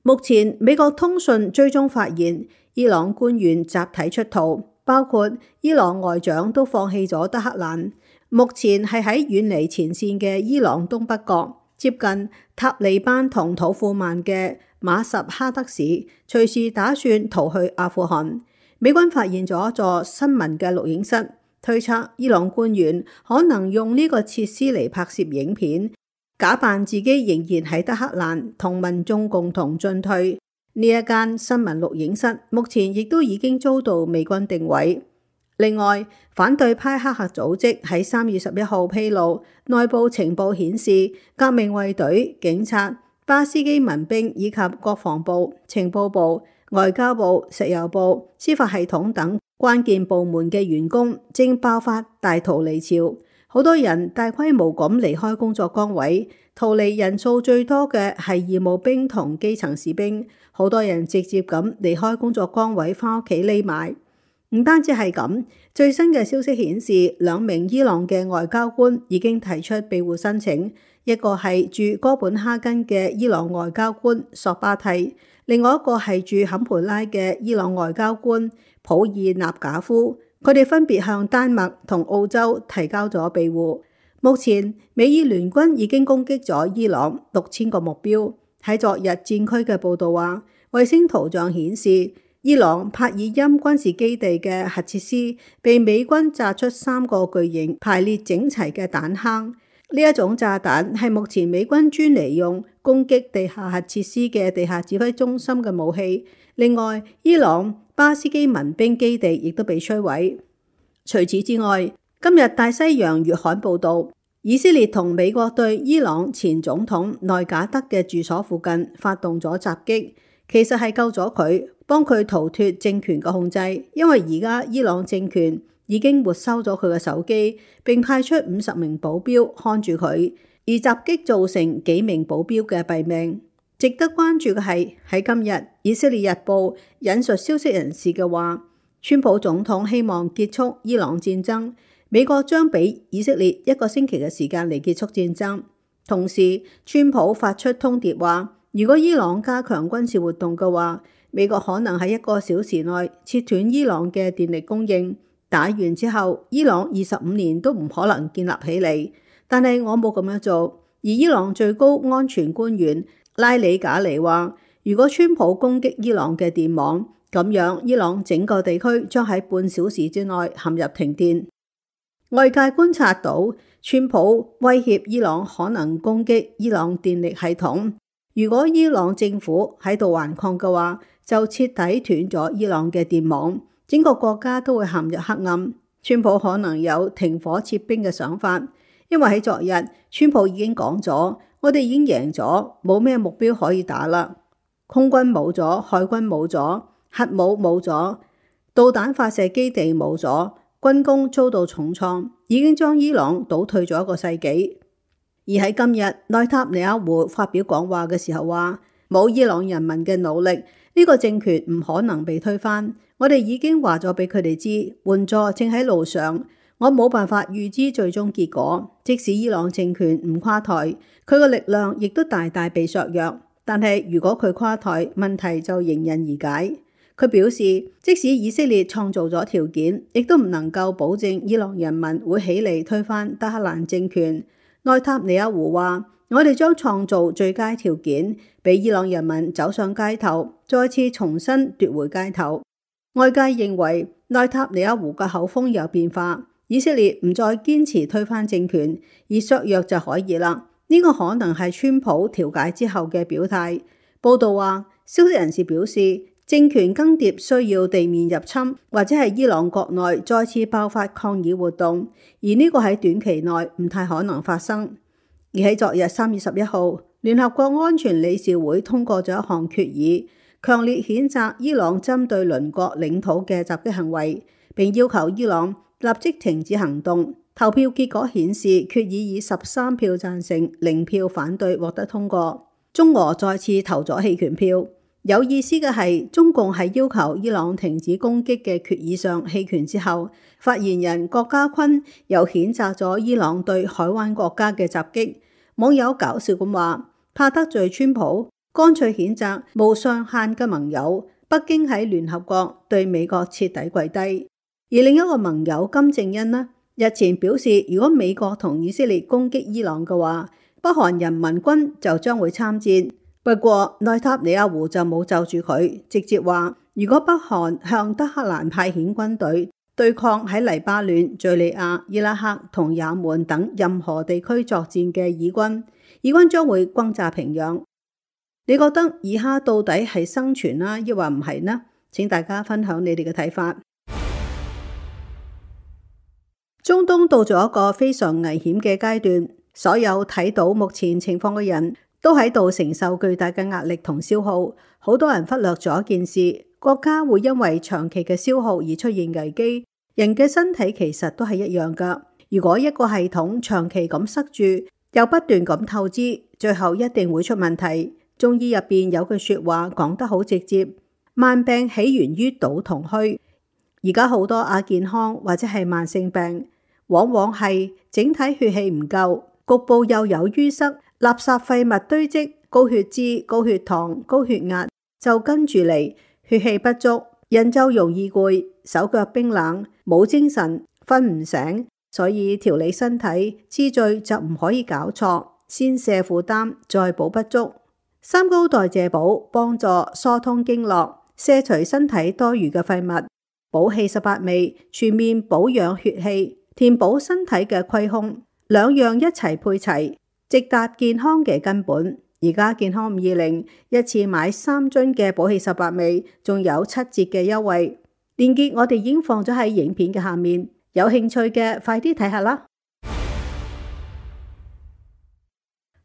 目前美國通訊追蹤發現，伊朗官員集體出逃，包括伊朗外長都放棄咗德黑蘭，目前係喺遠離前線嘅伊朗東北角，接近塔利班同土庫曼嘅馬什哈德市，隨時打算逃去阿富汗。美軍發現咗一座新聞嘅錄影室，推測伊朗官員可能用呢個設施嚟拍攝影片，假扮自己仍然喺德黑蘭同民眾共同進退。呢一間新聞錄影室目前亦都已經遭到美軍定位。另外，反對派黑客組織喺三月十一號披露，內部情報顯示，革命衛隊、警察、巴斯基民兵以及國防部、情報部、外交部、石油部、司法系統等關鍵部門嘅員工正爆發大逃離潮。好多人大規模咁離開工作崗位，逃離人數最多嘅係義務兵同基層士兵。好多人直接咁離開工作崗位，返屋企匿埋。唔單止係咁，最新嘅消息顯示，兩名伊朗嘅外交官已經提出庇護申請，一個係駐哥本哈根嘅伊朗外交官索巴蒂，另外一個係駐坎培拉嘅伊朗外交官普爾納賈夫。佢哋分別向丹麥同澳洲提交咗庇護。目前美伊聯軍已經攻擊咗伊朗六千個目標。喺昨日戰區嘅報道話，衛星圖像顯示伊朗帕爾欽軍事基地嘅核設施被美軍炸出三個巨型排列整齊嘅彈坑。呢一種炸彈係目前美軍專嚟用攻擊地下核設施嘅地下指揮中心嘅武器。另外，伊朗巴斯基民兵基地亦都被摧毀。除此之外，今日大西洋月刊報道，以色列同美國對伊朗前總統內賈德嘅住所附近發動咗襲擊，其實係救咗佢，幫佢逃脫政權嘅控制。因為而家伊朗政權已經沒收咗佢嘅手機，並派出五十名保鏢看住佢，而襲擊造成幾名保鏢嘅斃命。值得關注嘅係，喺今日以色列日報引述消息人士嘅話，川普總統希望結束伊朗戰爭。美國將俾以色列一個星期嘅時間嚟結束戰爭。同時，川普發出通牒話，如果伊朗加強軍事活動嘅話，美國可能喺一個小時內切斷伊朗嘅電力供應。打完之後，伊朗二十五年都唔可能建立起嚟。但係我冇咁樣做。而伊朗最高安全官員拉里賈尼話，如果川普攻擊伊朗嘅電網，咁樣伊朗整個地區將喺半小時之內陷入停電。外界觀察到，川普威脅伊朗可能攻擊伊朗電力系統，如果伊朗政府喺度頑抗嘅話，就徹底斷咗伊朗嘅電網，整個國家都會陷入黑暗。川普可能有停火撤兵嘅想法，因為喺昨日，川普已經講咗，我哋已經贏咗，冇咩目標可以打啦。空軍冇咗，海軍冇咗，核武冇咗，導彈發射基地冇咗，軍工遭到重創，已經將伊朗倒退咗一個世紀。而喺今日，內塔尼亞胡發表講話嘅時候話，冇伊朗人民嘅努力，呢個政權唔可能被推翻。我哋已經話咗俾佢哋知，援助正喺路上。我冇辦法預知最終結果，即使伊朗政權唔垮台，佢個力量亦都大大被削弱。但係如果佢垮台，問題就迎刃而解。佢表示，即使以色列創造咗條件，亦都唔能夠保證伊朗人民會起嚟推翻德黑蘭政權。內塔尼亞胡話，我哋將創造最佳條件，俾伊朗人民走上街頭，再次重新奪回街頭。外界認為內塔尼亞胡嘅口風有變化，以色列唔再堅持推翻政權，而削弱就可以啦。呢個可能係川普調解之後嘅表態。報道話，消息人士表示，政權更迭需要地面入侵，或者係伊朗國內再次爆發抗議活動，而呢個喺短期內唔太可能發生。而喺昨日三月十一號，聯合國安全理事會通過咗一項決議，強烈譴責伊朗針對鄰國領土嘅襲擊行為，並要求伊朗立即停止行動。投票結果顯示，決議以十三票贊成、零票反對獲得通過。中俄再次投咗棄權票。有意思嘅係，中共喺要求伊朗停止攻擊嘅決議上棄權之後，發言人郭家坤又譴責咗伊朗對海灣國家嘅襲擊。網友搞笑咁話，怕得罪川普，乾脆譴責無上限嘅盟友。北京喺聯合國對美國徹底跪低。而另一個盟友金正恩呢，日前表示，如果美國同以色列攻擊伊朗嘅話，北韓人民軍就將會參戰。不過內塔尼亞胡就冇就住佢，直接話如果北韓向德黑蘭派遣軍隊對抗喺黎巴嫩、敘利亞、伊拉克同也門等任何地區作戰嘅以軍，以軍將會轟炸平壤。你覺得以哈到底係生存啦，抑或唔係呢？請大家分享你哋嘅睇法。中東到咗一個非常危險嘅階段，所有睇到目前情況嘅人都喺度承受巨大嘅壓力同消耗。好多人忽略咗一件事，國家會因為長期嘅消耗而出現危機。人嘅身體其實都係一樣㗎。如果一個系統長期咁塞住，又不斷咁透支，最後一定會出問題。中醫入邊有句說話講得好直接，萬病起源於堵同虛。而家好多亞健康或者係慢性病，往往係整體血氣唔夠，局部又有淤塞，垃圾廢物堆積，高血脂、高血糖、高血壓就跟住嚟，血氣不足，人就容易攰，手腳冰冷，冇精神，瞓唔醒。所以調理身體次序就唔可以搞錯，先卸負擔，再補不足。三高代謝補幫助疏通經絡，卸除身體多餘嘅廢物，補氣十八味，全面保養血氣，填補身體嘅虧空，兩樣一齊配齊，直達健康嘅根本。而家健康五二零一次買三樽嘅補氣十八味，仲有七折嘅優惠，鏈接我哋已經放咗喺影片嘅下面，有興趣嘅快啲睇下啦。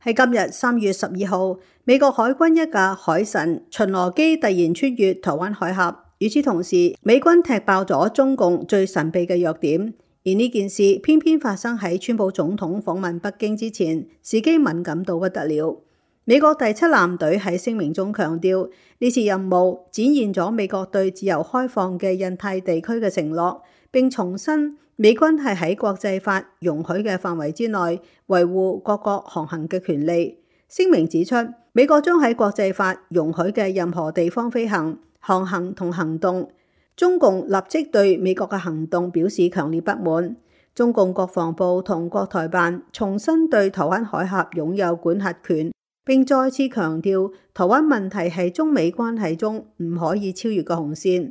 喺今日三月十二號，美國海軍一架海神巡邏機突然穿越台灣海峽，與此同時，美軍踢爆咗中共最神秘嘅弱點。而呢件事偏偏發生喺川普總統訪問北京之前，時機敏感到不得了。美國第七艦隊喺聲明中強調，呢次任務展現咗美國對自由開放嘅印太地區嘅承諾，並重申美軍係喺國際法容許嘅範圍之內維護各國航行嘅權利。聲明指出，美國將喺國際法容許嘅任何地方飛行、航行同行動。中共立即對美國嘅行動表示強烈不滿。中共國防部同國台辦重新對台灣海峽擁有管轄權，並再次強調台灣問題係中美關係中唔可以超越嘅紅線。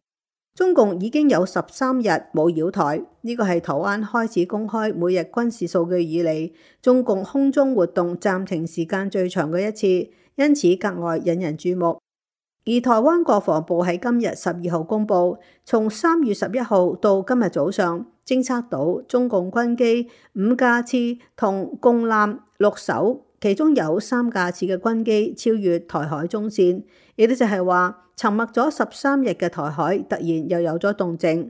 中共已經有十三日冇擾台，呢個係台灣開始公開每日軍事數據以嚟，中共空中活動暫停時間最長嘅一次，因此格外引人注目。而台灣國防部喺今日十二號公布，從三月十一號到今日早上，偵測到中共軍機五架次同共艦六艘，其中有三架次嘅軍機超越台海中線，亦都就係話，沉默咗十三日嘅台海突然又有咗動靜。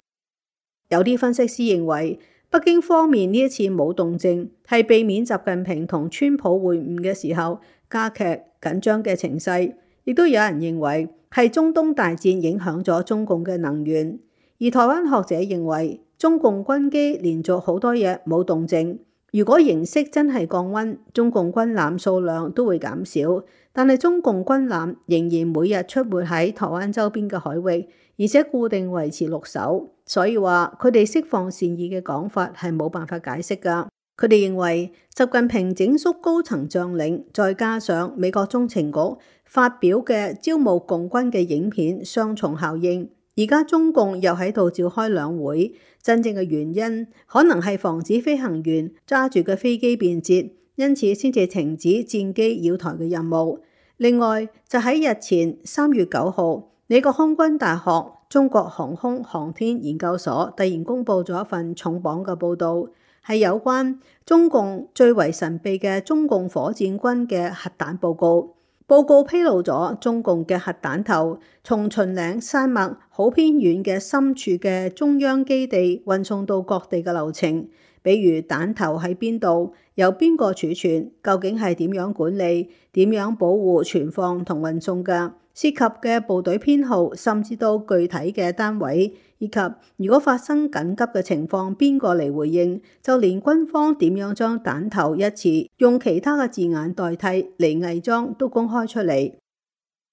有啲分析師認為，北京方面呢一次冇動靜，係避免習近平同川普會晤嘅時候加劇緊張嘅情勢。亦都有人認為係中東大戰影響咗中共嘅能源。而台灣學者認為，中共軍機連續好多日冇動靜。如果形勢真係降溫，中共軍艦數量都會減少，但係中共軍艦仍然每日出沒喺台灣周邊嘅海域，而且固定維持六艘，所以話佢哋釋放善意嘅講法係冇辦法解釋㗎。佢哋認為習近平整肅高層將領，再加上美國中情局發表嘅招募共軍嘅影片，雙重效應。而家中共又喺度召開兩會，真正嘅原因可能係防止飛行員揸住嘅飛機變節，因此先至停止戰機擾台嘅任務。另外就喺日前三月九號，美國空軍大學中國航空航天研究所突然公布咗一份重磅嘅報導，係有關中共最為神秘嘅中共火箭軍嘅核彈報告。報告披露咗中共嘅核彈頭從秦嶺山脈好偏遠嘅深處嘅中央基地運送到各地嘅流程，比如彈頭喺邊度，由邊個儲存，究竟係點樣管理，點樣保護存放同運送嘅，涉及嘅部隊編號，甚至到具體嘅單位，以及如果發生緊急嘅情況，邊個嚟回應，就連軍方點樣將彈頭一詞用其他嘅字眼代替嚟偽裝都公開出嚟。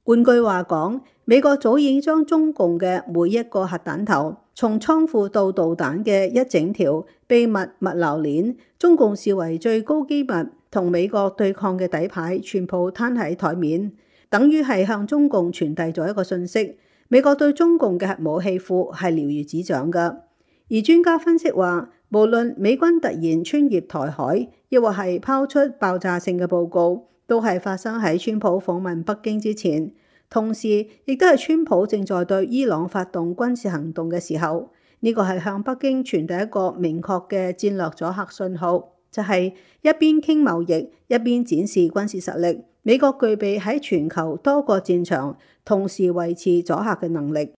換句話講，美國早已經將中共嘅每一個核彈頭，從倉庫到導彈嘅一整條秘密物流鏈，中共視為最高機密同美國對抗嘅底牌，全部攤喺台面。等於係向中共傳遞咗一個訊息，美國對中共嘅核武器庫係了如指掌㗎。而專家分析話，無論美軍突然穿越台海，亦或係拋出爆炸性嘅報告，都係發生喺川普訪問北京之前，同時亦都係川普正在對伊朗發動軍事行動嘅時候。呢個係向北京傳遞一個明確嘅戰略阻嚇信號，就係一邊傾貿易，一邊展示軍事實力。美國具備喺全球多個戰場同時維持阻嚇嘅能力。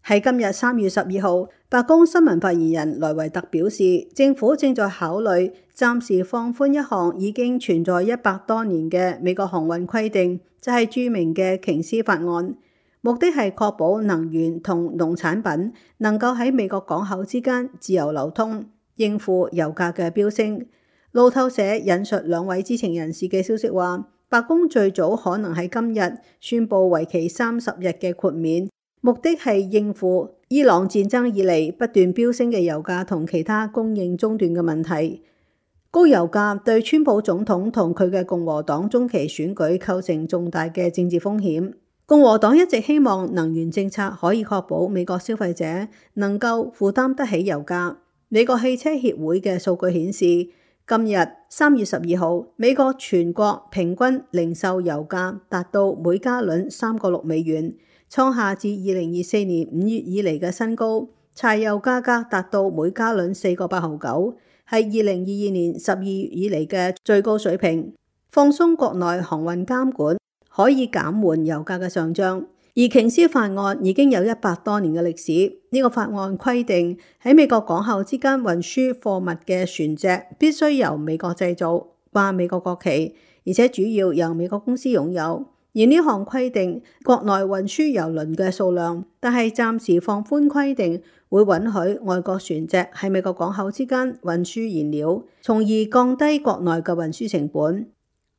喺今日三月十二號，白宮新聞發言人萊維特表示，政府正在考慮暫時放寬一項已經存在一百多年嘅美國航運規定，就係著名嘅瓊斯法案，目的係確保能源同農產品能夠喺美國港口之間自由流通，應付油價嘅飆升。路透社引述兩位知情人士嘅消息話，白宮最早可能喺今日宣布為期三十日嘅豁免，目的係應付伊朗戰爭以嚟不斷飆升嘅油價同其他供應中斷嘅問題。高油價對川普總統同佢嘅共和黨中期選舉構成重大嘅政治風險。共和黨一直希望能源政策可以確保美國消費者能夠負擔得起油價。美國汽車協會嘅數據顯示，今日三月十二號，美國全國平均零售油價達到每加侖三個六美元，創下自二零二四年五月以嚟嘅新高。柴油價格達到每加侖四個八毫九，係二零二二年十二月以嚟嘅最高水平。放鬆國內航運監管可以減緩油價嘅上漲。而瓊斯法案已經有一百多年嘅歷史，呢個法案規定喺美國港口之間運輸貨物嘅船隻必須由美國製造，掛美國國旗，而且主要由美國公司擁有。而呢項規定國內運輸郵輪嘅數量，但係暫時放寬規定，會允許外國船隻喺美國港口之間運輸燃料，從而降低國內嘅運輸成本。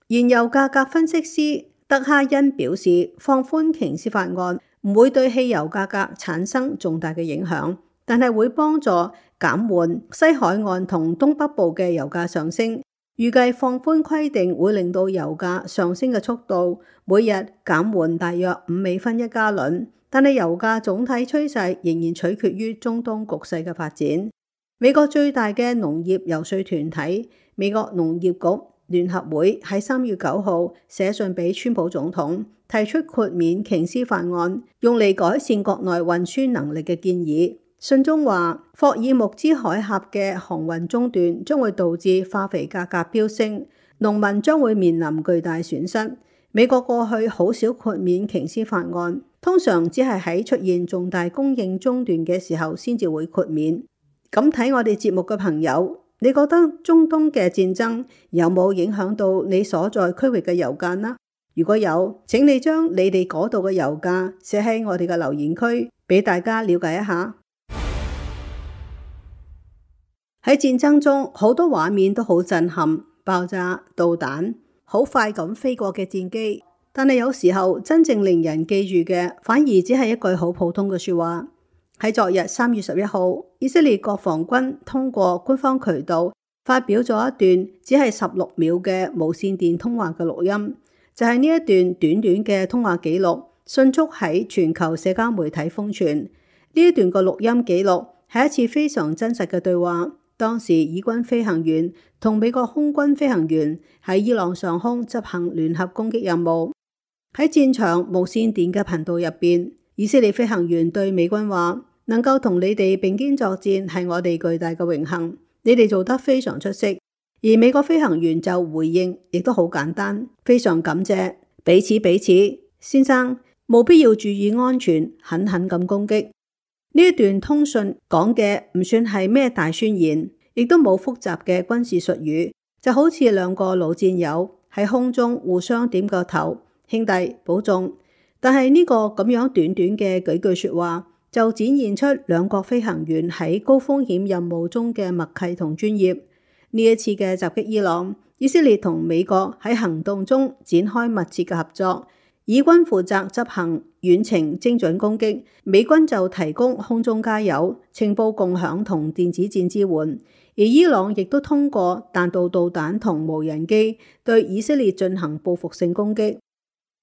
原油價格分析師德哈恩表示，放寬瓊斯法案唔會對汽油價格產生重大嘅影響，但係會幫助減緩西海岸同東北部嘅油價上升。預計放寬規定會令到油價上升嘅速度每日減緩大約五美分一加侖，但係油價總體趨勢仍然取決於中東局勢嘅發展。美國最大嘅農業游說團體美國農業局聯合會喺三月九號寫信俾川普總統，提出豁免瓊斯法案，用嚟改善國內運輸能力嘅建議。信中話，霍爾木茲海峽嘅航運中斷將會導致化肥價格飆升，農民將會面臨巨大損失。美國過去好少豁免瓊斯法案，通常只係喺出現重大供應中斷嘅時候先至會豁免。咁睇我哋節目嘅朋友，你覺得中東嘅戰爭有冇影響到你所在區域嘅油價呢？如果有，請你將你哋嗰度嘅油價寫喺我哋嘅留言區，俾大家了解一下。喺戰爭中，好多畫面都好震撼，爆炸、導彈，好快咁飛過嘅戰機。但係有時候真正令人記住嘅，反而只係一句好普通嘅說話。喺昨日三月十一號，以色列國防軍通過官方渠道發表咗一段只係十六秒嘅無線電通話嘅錄音，就係呢一段短短嘅通話記錄，迅速喺全球社交媒體瘋傳。呢一段嘅錄音記錄係一次非常真實嘅對話。當時以軍飛行員同美國空軍飛行員喺伊朗上空執行聯合攻擊任務。喺戰場無線電嘅頻道入邊，以色列飛行員對美軍話：能夠同你哋並肩作戰係我哋巨大嘅榮幸，你哋做得非常出色。而美國飛行員就回應，亦都好簡單，非常感謝，彼此彼此，先生，務必要注意安全，狠狠咁攻擊。呢一段通訊講嘅唔算係咩大宣言，亦都冇複雜嘅軍事術語，就好似兩個老戰友喺空中互相點個頭，兄弟保重。但係呢個咁樣短短嘅幾句說話，就展現出兩國飛行員喺高風險任務中嘅默契同專業。呢一次嘅襲擊伊朗，以色列同美國喺行動中展開密切嘅合作。以軍負責執行遠程精準攻擊，美軍就提供空中加油、情報共享同電子戰支援。而伊朗亦都通過彈道導彈同無人機對以色列進行報復性攻擊。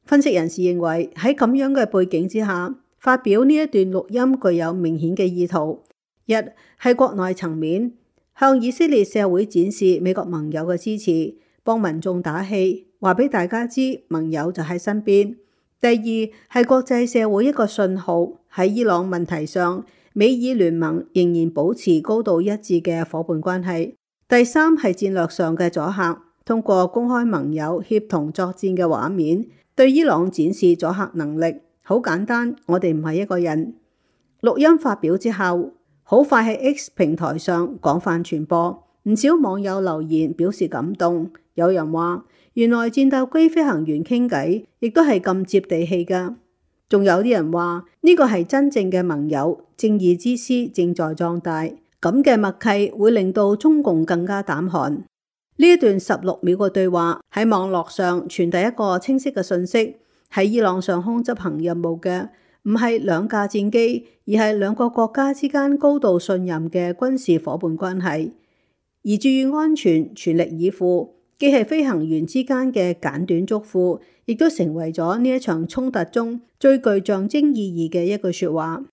分析人士認為，喺咁樣嘅背景之下，發表呢一段錄音具有明顯嘅意圖。一係國內層面，向以色列社會展示美國盟友嘅支持，幫民眾打氣，話俾大家知盟友就喺身邊。第二係國際社會一個信號，喺伊朗問題上，美以聯盟仍然保持高度一致嘅夥伴關係。第三係戰略上嘅阻嚇，通過公開盟友協同作戰嘅畫面，對伊朗展示阻嚇能力。好簡單，我哋唔係一個人。錄音發表之後，好快喺 X 平台上廣泛傳播，唔少網友留言表示感動。有人話，原來戰鬥機飛行員傾偈亦都係咁接地氣㗎。仲有啲人話，呢個係真正嘅盟友，正義之師正在壯大。咁嘅默契會令到中共更加膽寒。呢一段十六秒嘅對話喺網絡上傳遞一個清晰嘅信息。喺伊朗上空執行任務嘅唔係兩架戰機，而係兩個國家之間高度信任嘅軍事夥伴關係。而注意安全、全力以赴，既係飛行員之間嘅簡短囑咐，亦都成為咗呢一場衝突中最具象徵意義嘅一句說話。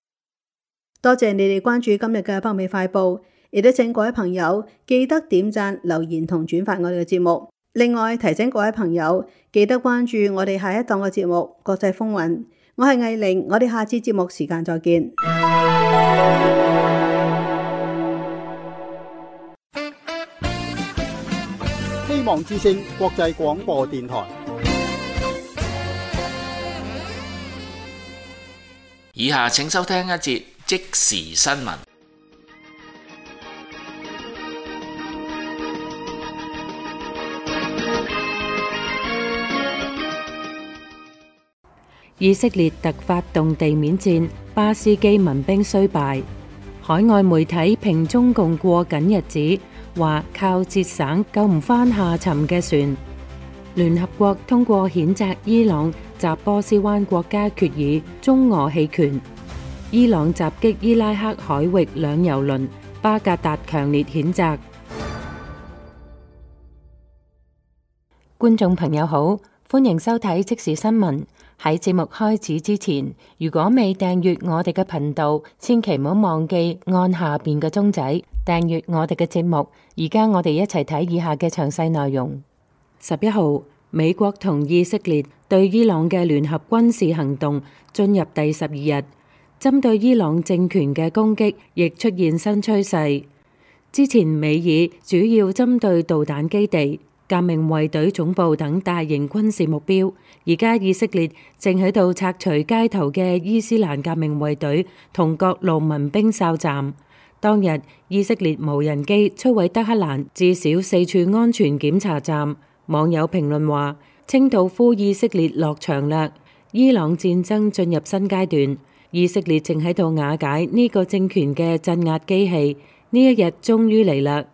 多謝你哋關注今日嘅北美快報，亦都請各位朋友記得點讚、留言同轉發我哋嘅節目。另外提醒各位朋友記得關注我哋下一檔嘅節目《國際風雲》。我係藝玲，我哋下次節目時間再見。希望之聲國際廣播電台。以下請收聽一節即時新聞。以色列突發動地面戰，巴斯基民兵雖敗。海外媒體評中共過緊日子，話靠節省救唔返下沉嘅船。聯合國通過譴責伊朗襲波斯灣國家決議，中俄棄權。伊朗襲擊伊拉克海域兩油輪，巴格達強烈譴責。觀眾朋友好，歡迎收睇即時新聞。喺節目開始之前，如果未訂閱我哋嘅頻道，千祈唔好忘記按下邊嘅鐘仔訂閱我哋嘅節目。而家我哋一齊睇以下嘅詳細內容。十一號，美國同以色列對伊朗嘅聯合軍事行動進入第十二日，針對伊朗政權嘅攻擊亦出現新趨勢。之前美以主要針對導彈基地、革命衛隊總部等大型軍事目標，而家以色列正喺度拆除街頭嘅伊斯蘭革命衛隊同各路民兵哨站。當日，以色列無人機摧毀德黑蘭至少四處安全檢查站。網友評論話：清道夫以色列落場啦！伊朗戰爭進入新階段，以色列正喺度瓦解呢個政權嘅鎮壓機器，呢一日終於嚟啦！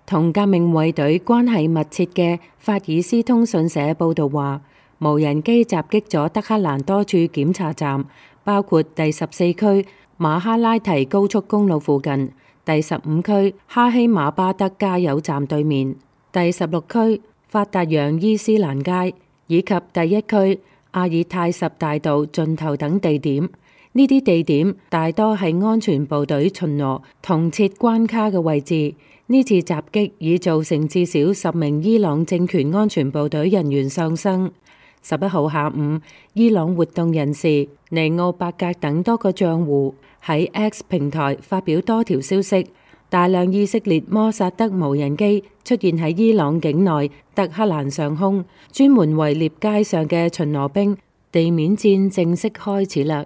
同革命衛隊關係密切嘅法爾斯通訊社報導話，無人機襲擊咗德黑蘭多處檢查站，包括第十四區馬哈拉提高速公路附近、第十五區哈希馬巴德加油站對面、第十六區法達揚伊斯蘭街以及第一區阿爾泰什大道盡頭等地點。呢啲地點大多係安全部隊巡邏同設關卡嘅位置。呢次襲擊已造成至少十名伊朗政權安全部隊人員喪生。十一號下午，伊朗活動人士尼奧伯格等多個賬戶喺 X 平台發表多條消息，大量以色列摩薩德無人機出現喺伊朗境內德黑蘭上空，專門圍獵街上嘅巡邏兵。地面戰正式開始啦。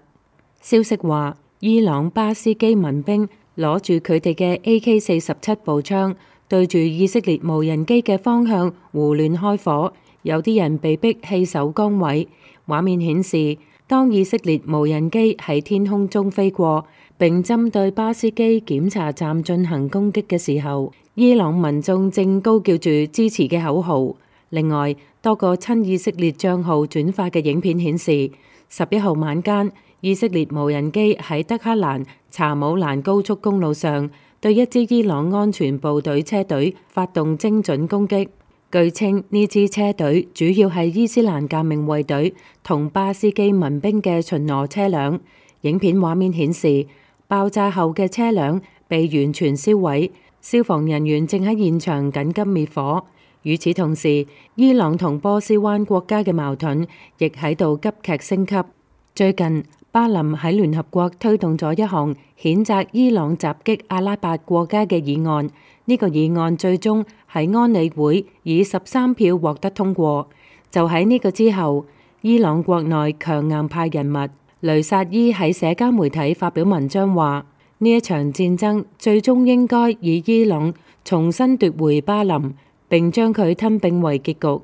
消息話，伊朗巴斯基民兵攞住佢哋嘅 A K 四十七步槍，對住以色列無人機嘅方向胡亂開火，有啲人被逼棄守崗位。畫面顯示，當以色列無人機喺天空中飛過，並針對巴斯基檢查站進行攻擊嘅時候，伊朗民眾正高叫住支持嘅口號。另外，多個親以色列帳號轉發嘅影片顯示，十一號晚間，以色列無人機喺德黑蘭查姆蘭高速公路上對一支伊朗安全部隊車隊發動精準攻擊。據稱，呢支車隊主要係伊斯蘭革命衛隊同巴斯基民兵嘅巡邏車輛。影片畫面顯示，爆炸後嘅車輛被完全燒毀，消防人員正喺現場緊急滅火。與此同時，伊朗同波斯灣國家嘅矛盾亦喺度急劇升級。最近，巴林喺聯合國推動咗一項譴責伊朗襲擊阿拉伯國家嘅議案，呢、這個議案最終喺安理會以十三票獲得通過。就喺呢個之後，伊朗國內強硬派人物雷薩伊喺社交媒體發表文章話，呢一場戰爭最終應該以伊朗重新奪回巴林，並將佢吞併為結局。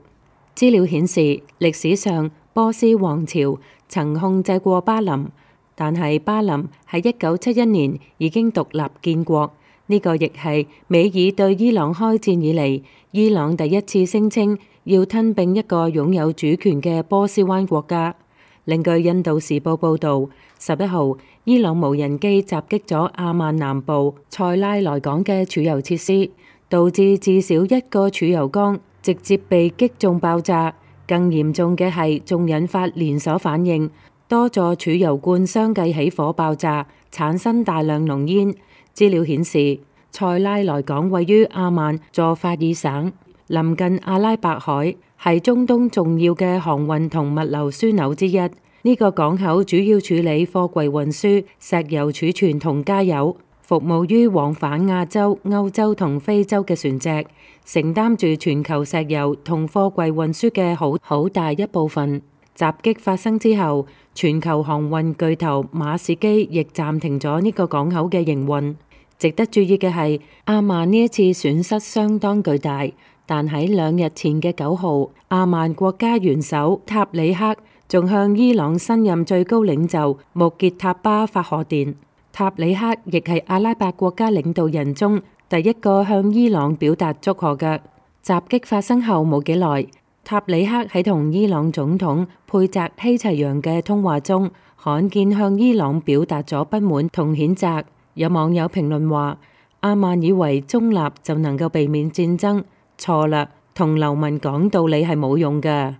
資料顯示，歷史上波斯王朝曾控制過巴林，但係巴林喺一九七一年已經獨立建國。呢、這個亦係美以對伊朗開戰以嚟，伊朗第一次聲稱要吞併一個擁有主權嘅波斯灣國家。另據印度時報報導，十一號伊朗無人機襲擊咗阿曼南部塞拉萊港嘅儲油設施，導致至少一個儲油缸直接被擊中爆炸。更嚴重嘅係，仲引發連鎖反應，多座儲油罐相繼起火爆炸，產生大量濃煙。資料顯示，塞拉萊港位於阿曼佐法爾省，臨近阿拉伯海，係中東重要嘅航運同物流樞紐之一。呢、這個港口主要處理貨櫃運輸、石油儲存同加油，服務於往返亞洲、歐洲同非洲嘅船隻，承擔住全球石油同貨櫃運輸嘅好好大一部分。襲擊發生之後，全球航運巨頭馬士基亦暫停咗呢個港口嘅營運。值得注意嘅係，阿曼呢一次損失相當巨大，但喺兩日前嘅九號，阿曼國家元首塔里克仲向伊朗新任最高領袖穆傑塔巴發賀電。塔里克亦係阿拉伯國家領導人中第一個向伊朗表達祝賀嘅。襲擊發生後冇幾耐，塔里克喺同伊朗總統佩澤希齊揚嘅通話中，罕見向伊朗表達咗不滿同譴責。有網友評論話：阿曼以為中立就能夠避免戰爭，錯啦！同流民講道理係冇用㗎。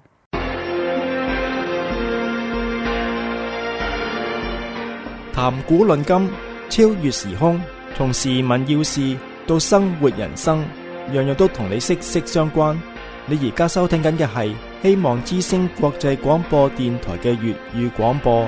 談古論今，超越時空，從時聞要事到生活人生，樣樣都同你息息相關。你而家收聽緊嘅係希望之聲國際廣播電台嘅粵語廣播。